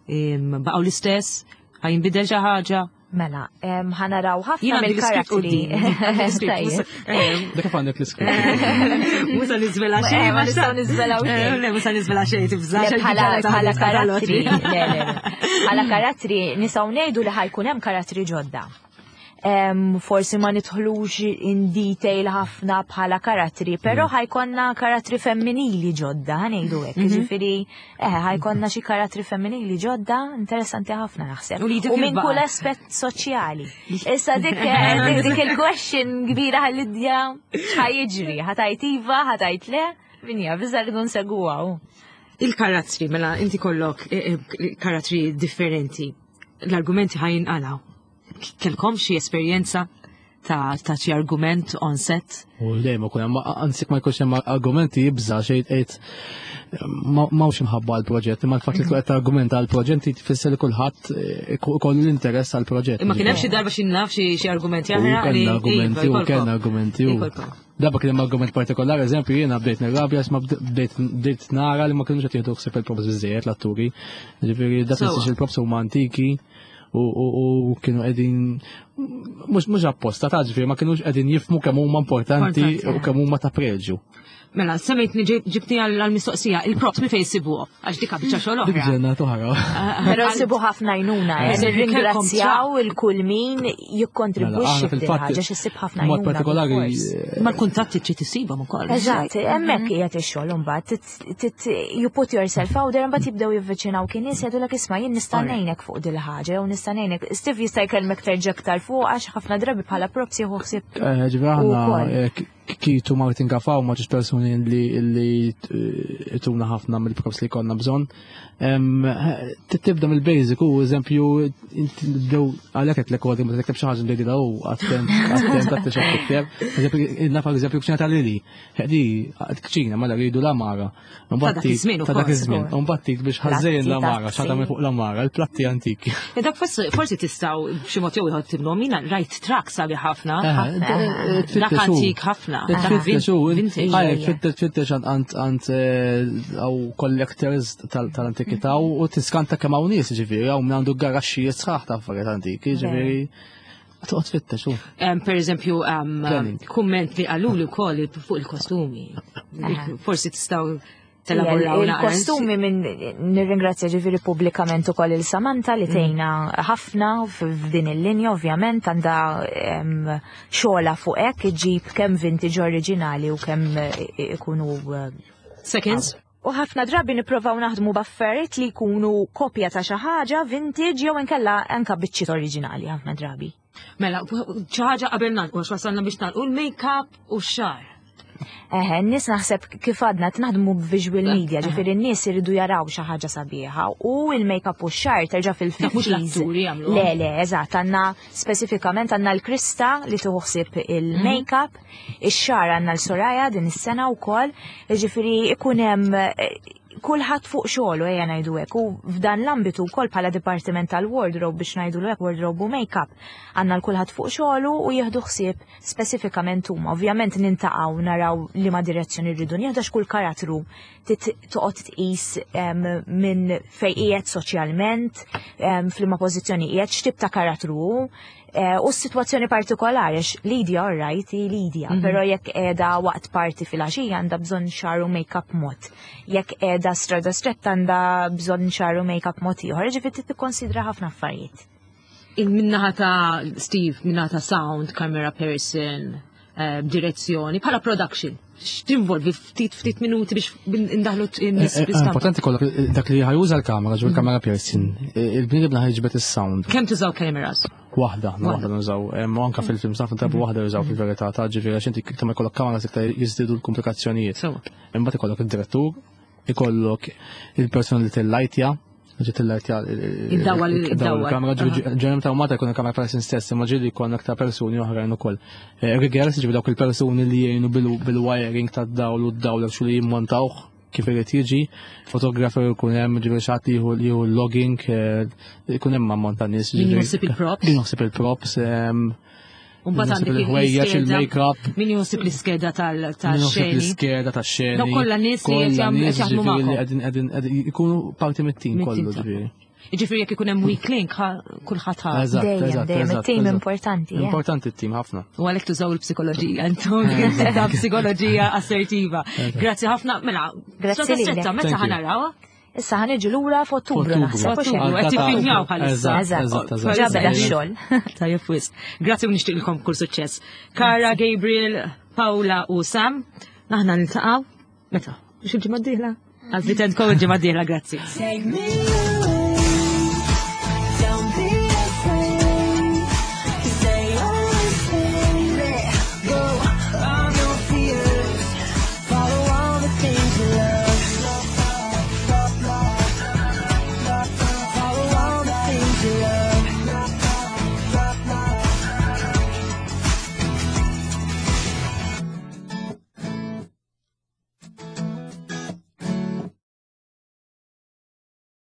[SPEAKER 2] em, baqgħu l-istess, ħa jinbidel xi ħaġa.
[SPEAKER 3] Mela, em, ħa naraw ħafna
[SPEAKER 2] Jien għandi l-iskript
[SPEAKER 3] mill-karattri.
[SPEAKER 2] quddiem. Għandi l-iskript,
[SPEAKER 3] Tajjeb.
[SPEAKER 5] Dak kif għandek l-iskript.
[SPEAKER 2] Mhux sa niżvela xejn.
[SPEAKER 3] Eh, ma nistgħu niżvelaw
[SPEAKER 2] Eh,
[SPEAKER 3] xejn.
[SPEAKER 2] Le, mhux sa niżvela xejn, tibżax.
[SPEAKER 3] Le, bħala bħala karattri, le, le, le. Bħala karattri nistgħu ngħidu li ħa jkun hemm karattri ġodda. Em, forsi ma nidħlux in detail ħafna bħala karattri, però ħa jkollna karattri femminili ġodda, ħa ngħidu hekk. Ġifieri, eh, ħa jkollna xi karattri femminili ġodda, interessanti ħafna naħseb.
[SPEAKER 2] U li dik
[SPEAKER 3] U minn
[SPEAKER 2] il-baqgħet.
[SPEAKER 3] kull aspett soċjali. Issa dik eh, dik dik il-question kbira ħallidja x'ħa jiġri, ħa tgħid iva, ħa tgħid le, min jaf, iżda rridu nsegwuha.
[SPEAKER 2] Il-karattri, mela inti kollok eh, eh, karattri differenti. L-argumenti ħa jinqalgħu. Kellkom xi esperjenza ta' ta' xi argument on set?
[SPEAKER 5] U dejjem ikun hemm, anzi ma jkunx hemm argumenti jibża xejn qed m'hawnx imħabba għall-proġett, imma l-fatt li tkun qed argumenta għall-proġett tfisser li kulħadd eh, ikollu l-interess għall-proġett.
[SPEAKER 2] Imma kien hemm xi darba xi naf xi xi argumenti
[SPEAKER 5] U
[SPEAKER 2] oħra li
[SPEAKER 5] kellna argumenti,
[SPEAKER 2] iva,
[SPEAKER 5] u kellna argumenti, u.
[SPEAKER 2] Ikolkom.
[SPEAKER 5] Darba kien hemm argument partikolari, eżempju, jiena bdejt nirrabja, ma bdejt bdejt nara li ma kienux qed jieħdu ħsieb il-props biżejjed l-atturi. Ġifieri dak
[SPEAKER 2] Sewwa.
[SPEAKER 5] li il-props huma antiki u u- u kienu qegħdin mhux mhux apposta ta' ġifieri ma kienux qegħdin jifhmu kemm huma importanti
[SPEAKER 2] Importanti,
[SPEAKER 5] u kemm huma ta' preġju.
[SPEAKER 2] Mela, semmejtni ġibtni għal-mistoqsija, il-props mi fejn sibuhom, għax dika biċċa xogħol
[SPEAKER 5] Dik
[SPEAKER 2] oħra.
[SPEAKER 5] ġenna toħra.
[SPEAKER 3] Però nsibu ħafna għajnuna, eh,
[SPEAKER 2] Eh,
[SPEAKER 3] nirringrazzjaw il-kull min jikkontribwixxi
[SPEAKER 5] Mela,
[SPEAKER 3] f'din ħaġa x'issib ħafna
[SPEAKER 5] Mod
[SPEAKER 3] għajnuna.
[SPEAKER 5] partikolari.
[SPEAKER 3] bil-fors.
[SPEAKER 5] eh,
[SPEAKER 2] Ma l-kuntatti trid tisibhom ukoll.
[SPEAKER 3] Eżatt, hemmhekk qiegħed ix-xogħol imbagħad tit- tit- you put yourself out there, imbagħad jibdew jivviċinaw kien nies jgħidulek, isma' jien nista' ngħinek fuq dil ħaġa jew nista' ngħinek. Steve jista' jkellmek terġa' aktar fuq għax ħafna drabi bħala props jieħu ħsieb.
[SPEAKER 5] Eh, Ġifieri aħna
[SPEAKER 3] Ukoll.
[SPEAKER 5] eh, K- Kitu Martin Gafaw ma ġiex persuni li li eh, ituna ħafna mill-props li konna bżonn. Em, eh, Tibda mill-basic u eżempju inti nibdew għalhekk qed l-kodi ma tikteb xi ħaġa nbdejda u attent attent attent xi tikteb. Eżempju naf eżempju kċina tal-Lili. Di kċina mela rridu l-amara.
[SPEAKER 2] Ta' dak iż-żmien
[SPEAKER 5] Ta' dak
[SPEAKER 2] ukoll.
[SPEAKER 5] iż-żmien. Mbagħad biex ħażejn
[SPEAKER 3] Platti,
[SPEAKER 5] l-amara,
[SPEAKER 3] tazzi.
[SPEAKER 5] x'għadha fuq l-amara, il-platti antiki.
[SPEAKER 2] E dak forsi forsi tistgħu b'xi mod jew ieħor tibnu mina rajt truck sabi ħafna. Dak antik ħafna. Dak vintage.
[SPEAKER 5] Għajek, tfittex, tfittex għand għand għaw collectors tal-antikità u tiskanta kemm hawn nies, ġifieri, hawn min għandu garaxxijiet sħaħ ta' affarijiet antiki, ġifieri. Toqgħod tfittex u.
[SPEAKER 2] Um, per eżempju, um,
[SPEAKER 5] Planning.
[SPEAKER 2] kumment li qaluli wkoll fuq il-kostumi. Forsi tistgħu telaboraw naqra.
[SPEAKER 3] Il-kostumi minn nirringrazzja ġifieri pubblikament ukoll il Samantha li tgħinna ħafna f'din il-linja ovvjament għandha em, xogħla fuq hekk iġib kemm vintage oriġinali u kemm eh, ikunu eh,
[SPEAKER 2] Seconds.
[SPEAKER 3] U ħafna drabi nipprovaw naħdmu b'affarijiet li jkunu kopja ta' xi ħaġa vintage jew inkella anka biċċiet oriġinali ħafna drabi.
[SPEAKER 2] Mela, xi ħaġa qabel nagħlqu, għax wasalna biex nagħlqu l-make-up u x-xagħar.
[SPEAKER 3] Eħe, n-nies naħseb kif għadna naħdmu b'visual media, ġifieri n-nies iridu jaraw xi ħaġa sabiħa u il-make-up u x-xagħar terġa'
[SPEAKER 2] Dak mhux
[SPEAKER 3] fil-fifties.
[SPEAKER 2] l-atturi jagħmluhom.
[SPEAKER 3] Le, le, eżatt, għandna speċifikament għandna l-Krista li tieħu ħsieb il-make-up, ix-xagħar għandna l-Soraya din is-sena wkoll, ġifieri ikun hemm eh, kulħadd fuq xogħlu ejja ngħidu hekk u f'dan l-ambitu wkoll bħala dipartiment tal-wardrobe biex ngħidu hekk wardrobe u make-up għandna l kulħadd fuq xogħlu u jieħdu ħsieb speċifikament huma. Ovvjament niltaqgħu naraw liema direzzjoni rridu nieħdu għax kull karattru tit- toqgħod tqis em, minn fejn qiegħed soċjalment, em, f'liema pożizzjoni qiegħed, x'tip ta' karattru hu, eh, u s-sitwazzjoni partikolari, għax Lydia all right, hi Lydia,
[SPEAKER 2] Mhm.
[SPEAKER 3] però jekk qiegħda waqt party fil-għaxija għandha bżonn xagħar u make-up mod. Jekk qiegħda Strada Stretta għandha bżonn xagħar u make-up mod ieħor, ġifieri trid tikkonsidra ħafna affarijiet.
[SPEAKER 2] Min-naħa ta' Steve, min-naħa ta' sound, camera person, eh, direzzjoni, bħala production. X'tinvolvi ftit ftit minuti biex indaħlu n-nies
[SPEAKER 5] Eh, eh,
[SPEAKER 2] fl-istampa.
[SPEAKER 5] Importanti kollok eh, dak li ħa juża l-kamera, ġu l-camera person, il-bniedem li ħa jiġbed is-sound.
[SPEAKER 2] Kemm tużaw cameras?
[SPEAKER 5] Waħda, aħna waħda nużaw. Em, U anka fil-film ħafna drabi waħda jużaw fil-verità ta' ġifieri għax inti kemm ikollok kamera iktar jiżdiedu l-komplikazzjonijiet. Imbagħad ikollok id-direttur, ikollok il-persona li tillajtja, ġi tillajtja
[SPEAKER 2] Id-dawwal-
[SPEAKER 5] id-dawwal il-kamera, ġifieri
[SPEAKER 2] Aha.
[SPEAKER 5] ġeneralment ta' Malta jkun il-camera person stess, imma ġieli jkun aktar persuni oħrajn ukoll. Eh, Riggers ġifieri dawk il-persuni li jgħinu bil- bil-wiring tad-dawl u d-dawl xu li jimmontawh kif irid jiġi, fotografer jkun hemm ġifieri xi ħadd jieħu jieħu logging, eh, jkun hemm ammont ta' nies.
[SPEAKER 2] Min
[SPEAKER 5] ġifieri-
[SPEAKER 2] jaħseb il-props?
[SPEAKER 5] Min jaħseb il-props, em,
[SPEAKER 2] U mbagħad
[SPEAKER 5] min jaħseb
[SPEAKER 2] għandek
[SPEAKER 5] il-ħwejjeġ,
[SPEAKER 2] l-iskeda.
[SPEAKER 5] il-make-up.
[SPEAKER 2] Min jaħseb l-iskeda
[SPEAKER 5] Min jaħseb
[SPEAKER 2] tal-xeni.
[SPEAKER 5] l-iskeda tax-xeni.
[SPEAKER 2] Dawk kollha nies li qed
[SPEAKER 5] Kollha
[SPEAKER 2] jagħmlu-
[SPEAKER 5] nies
[SPEAKER 2] qed jaħdmu
[SPEAKER 5] ġifieri li
[SPEAKER 2] magħkom.
[SPEAKER 5] qegħdin- qegħdin- qegħdin jkunu parti mit-tim
[SPEAKER 2] Mit-tim
[SPEAKER 5] kollu
[SPEAKER 2] tagħkom.
[SPEAKER 5] ġifieri.
[SPEAKER 2] Ġifieri jekk ikun hemm weak link, ħa- kulħadd ħa.
[SPEAKER 5] Eżatt,
[SPEAKER 3] Dejjem,
[SPEAKER 5] eżatt,
[SPEAKER 3] dejjem,
[SPEAKER 5] eżatt,
[SPEAKER 3] it-tim
[SPEAKER 5] eżatt.
[SPEAKER 3] importanti. eh.
[SPEAKER 5] Importanti t-tim ħafna.
[SPEAKER 2] U għalhekk tużaw il-psikoloġija, intom ta' psikoloġija assertiva. Grazzi ħafna, mela,
[SPEAKER 3] Grazzi
[SPEAKER 2] Strada
[SPEAKER 3] lilek.
[SPEAKER 2] Stretta, meta
[SPEAKER 5] Thank you.
[SPEAKER 2] ħa narawha?
[SPEAKER 3] Issa ħa niġu lura f'Ottubru
[SPEAKER 5] F'Ottubru.
[SPEAKER 3] naħseb. u xejn.
[SPEAKER 2] F'Ottubru, qed tiffilmjaw bħalissa.
[SPEAKER 5] Eżatt, eżatt, eżatt.
[SPEAKER 3] Ġa beda x-xogħol.
[SPEAKER 2] Tajjeb wisq. Grazzi u nixtieqilkom kull suċċess. Kara, Gabriel, Paula u Sam, aħna niltaqgħu meta? Biex il-ġimgħa d-dieħla? Għal Fit and Co il-ġimgħa d-dieħla, grazzi.
[SPEAKER 10] Take me away.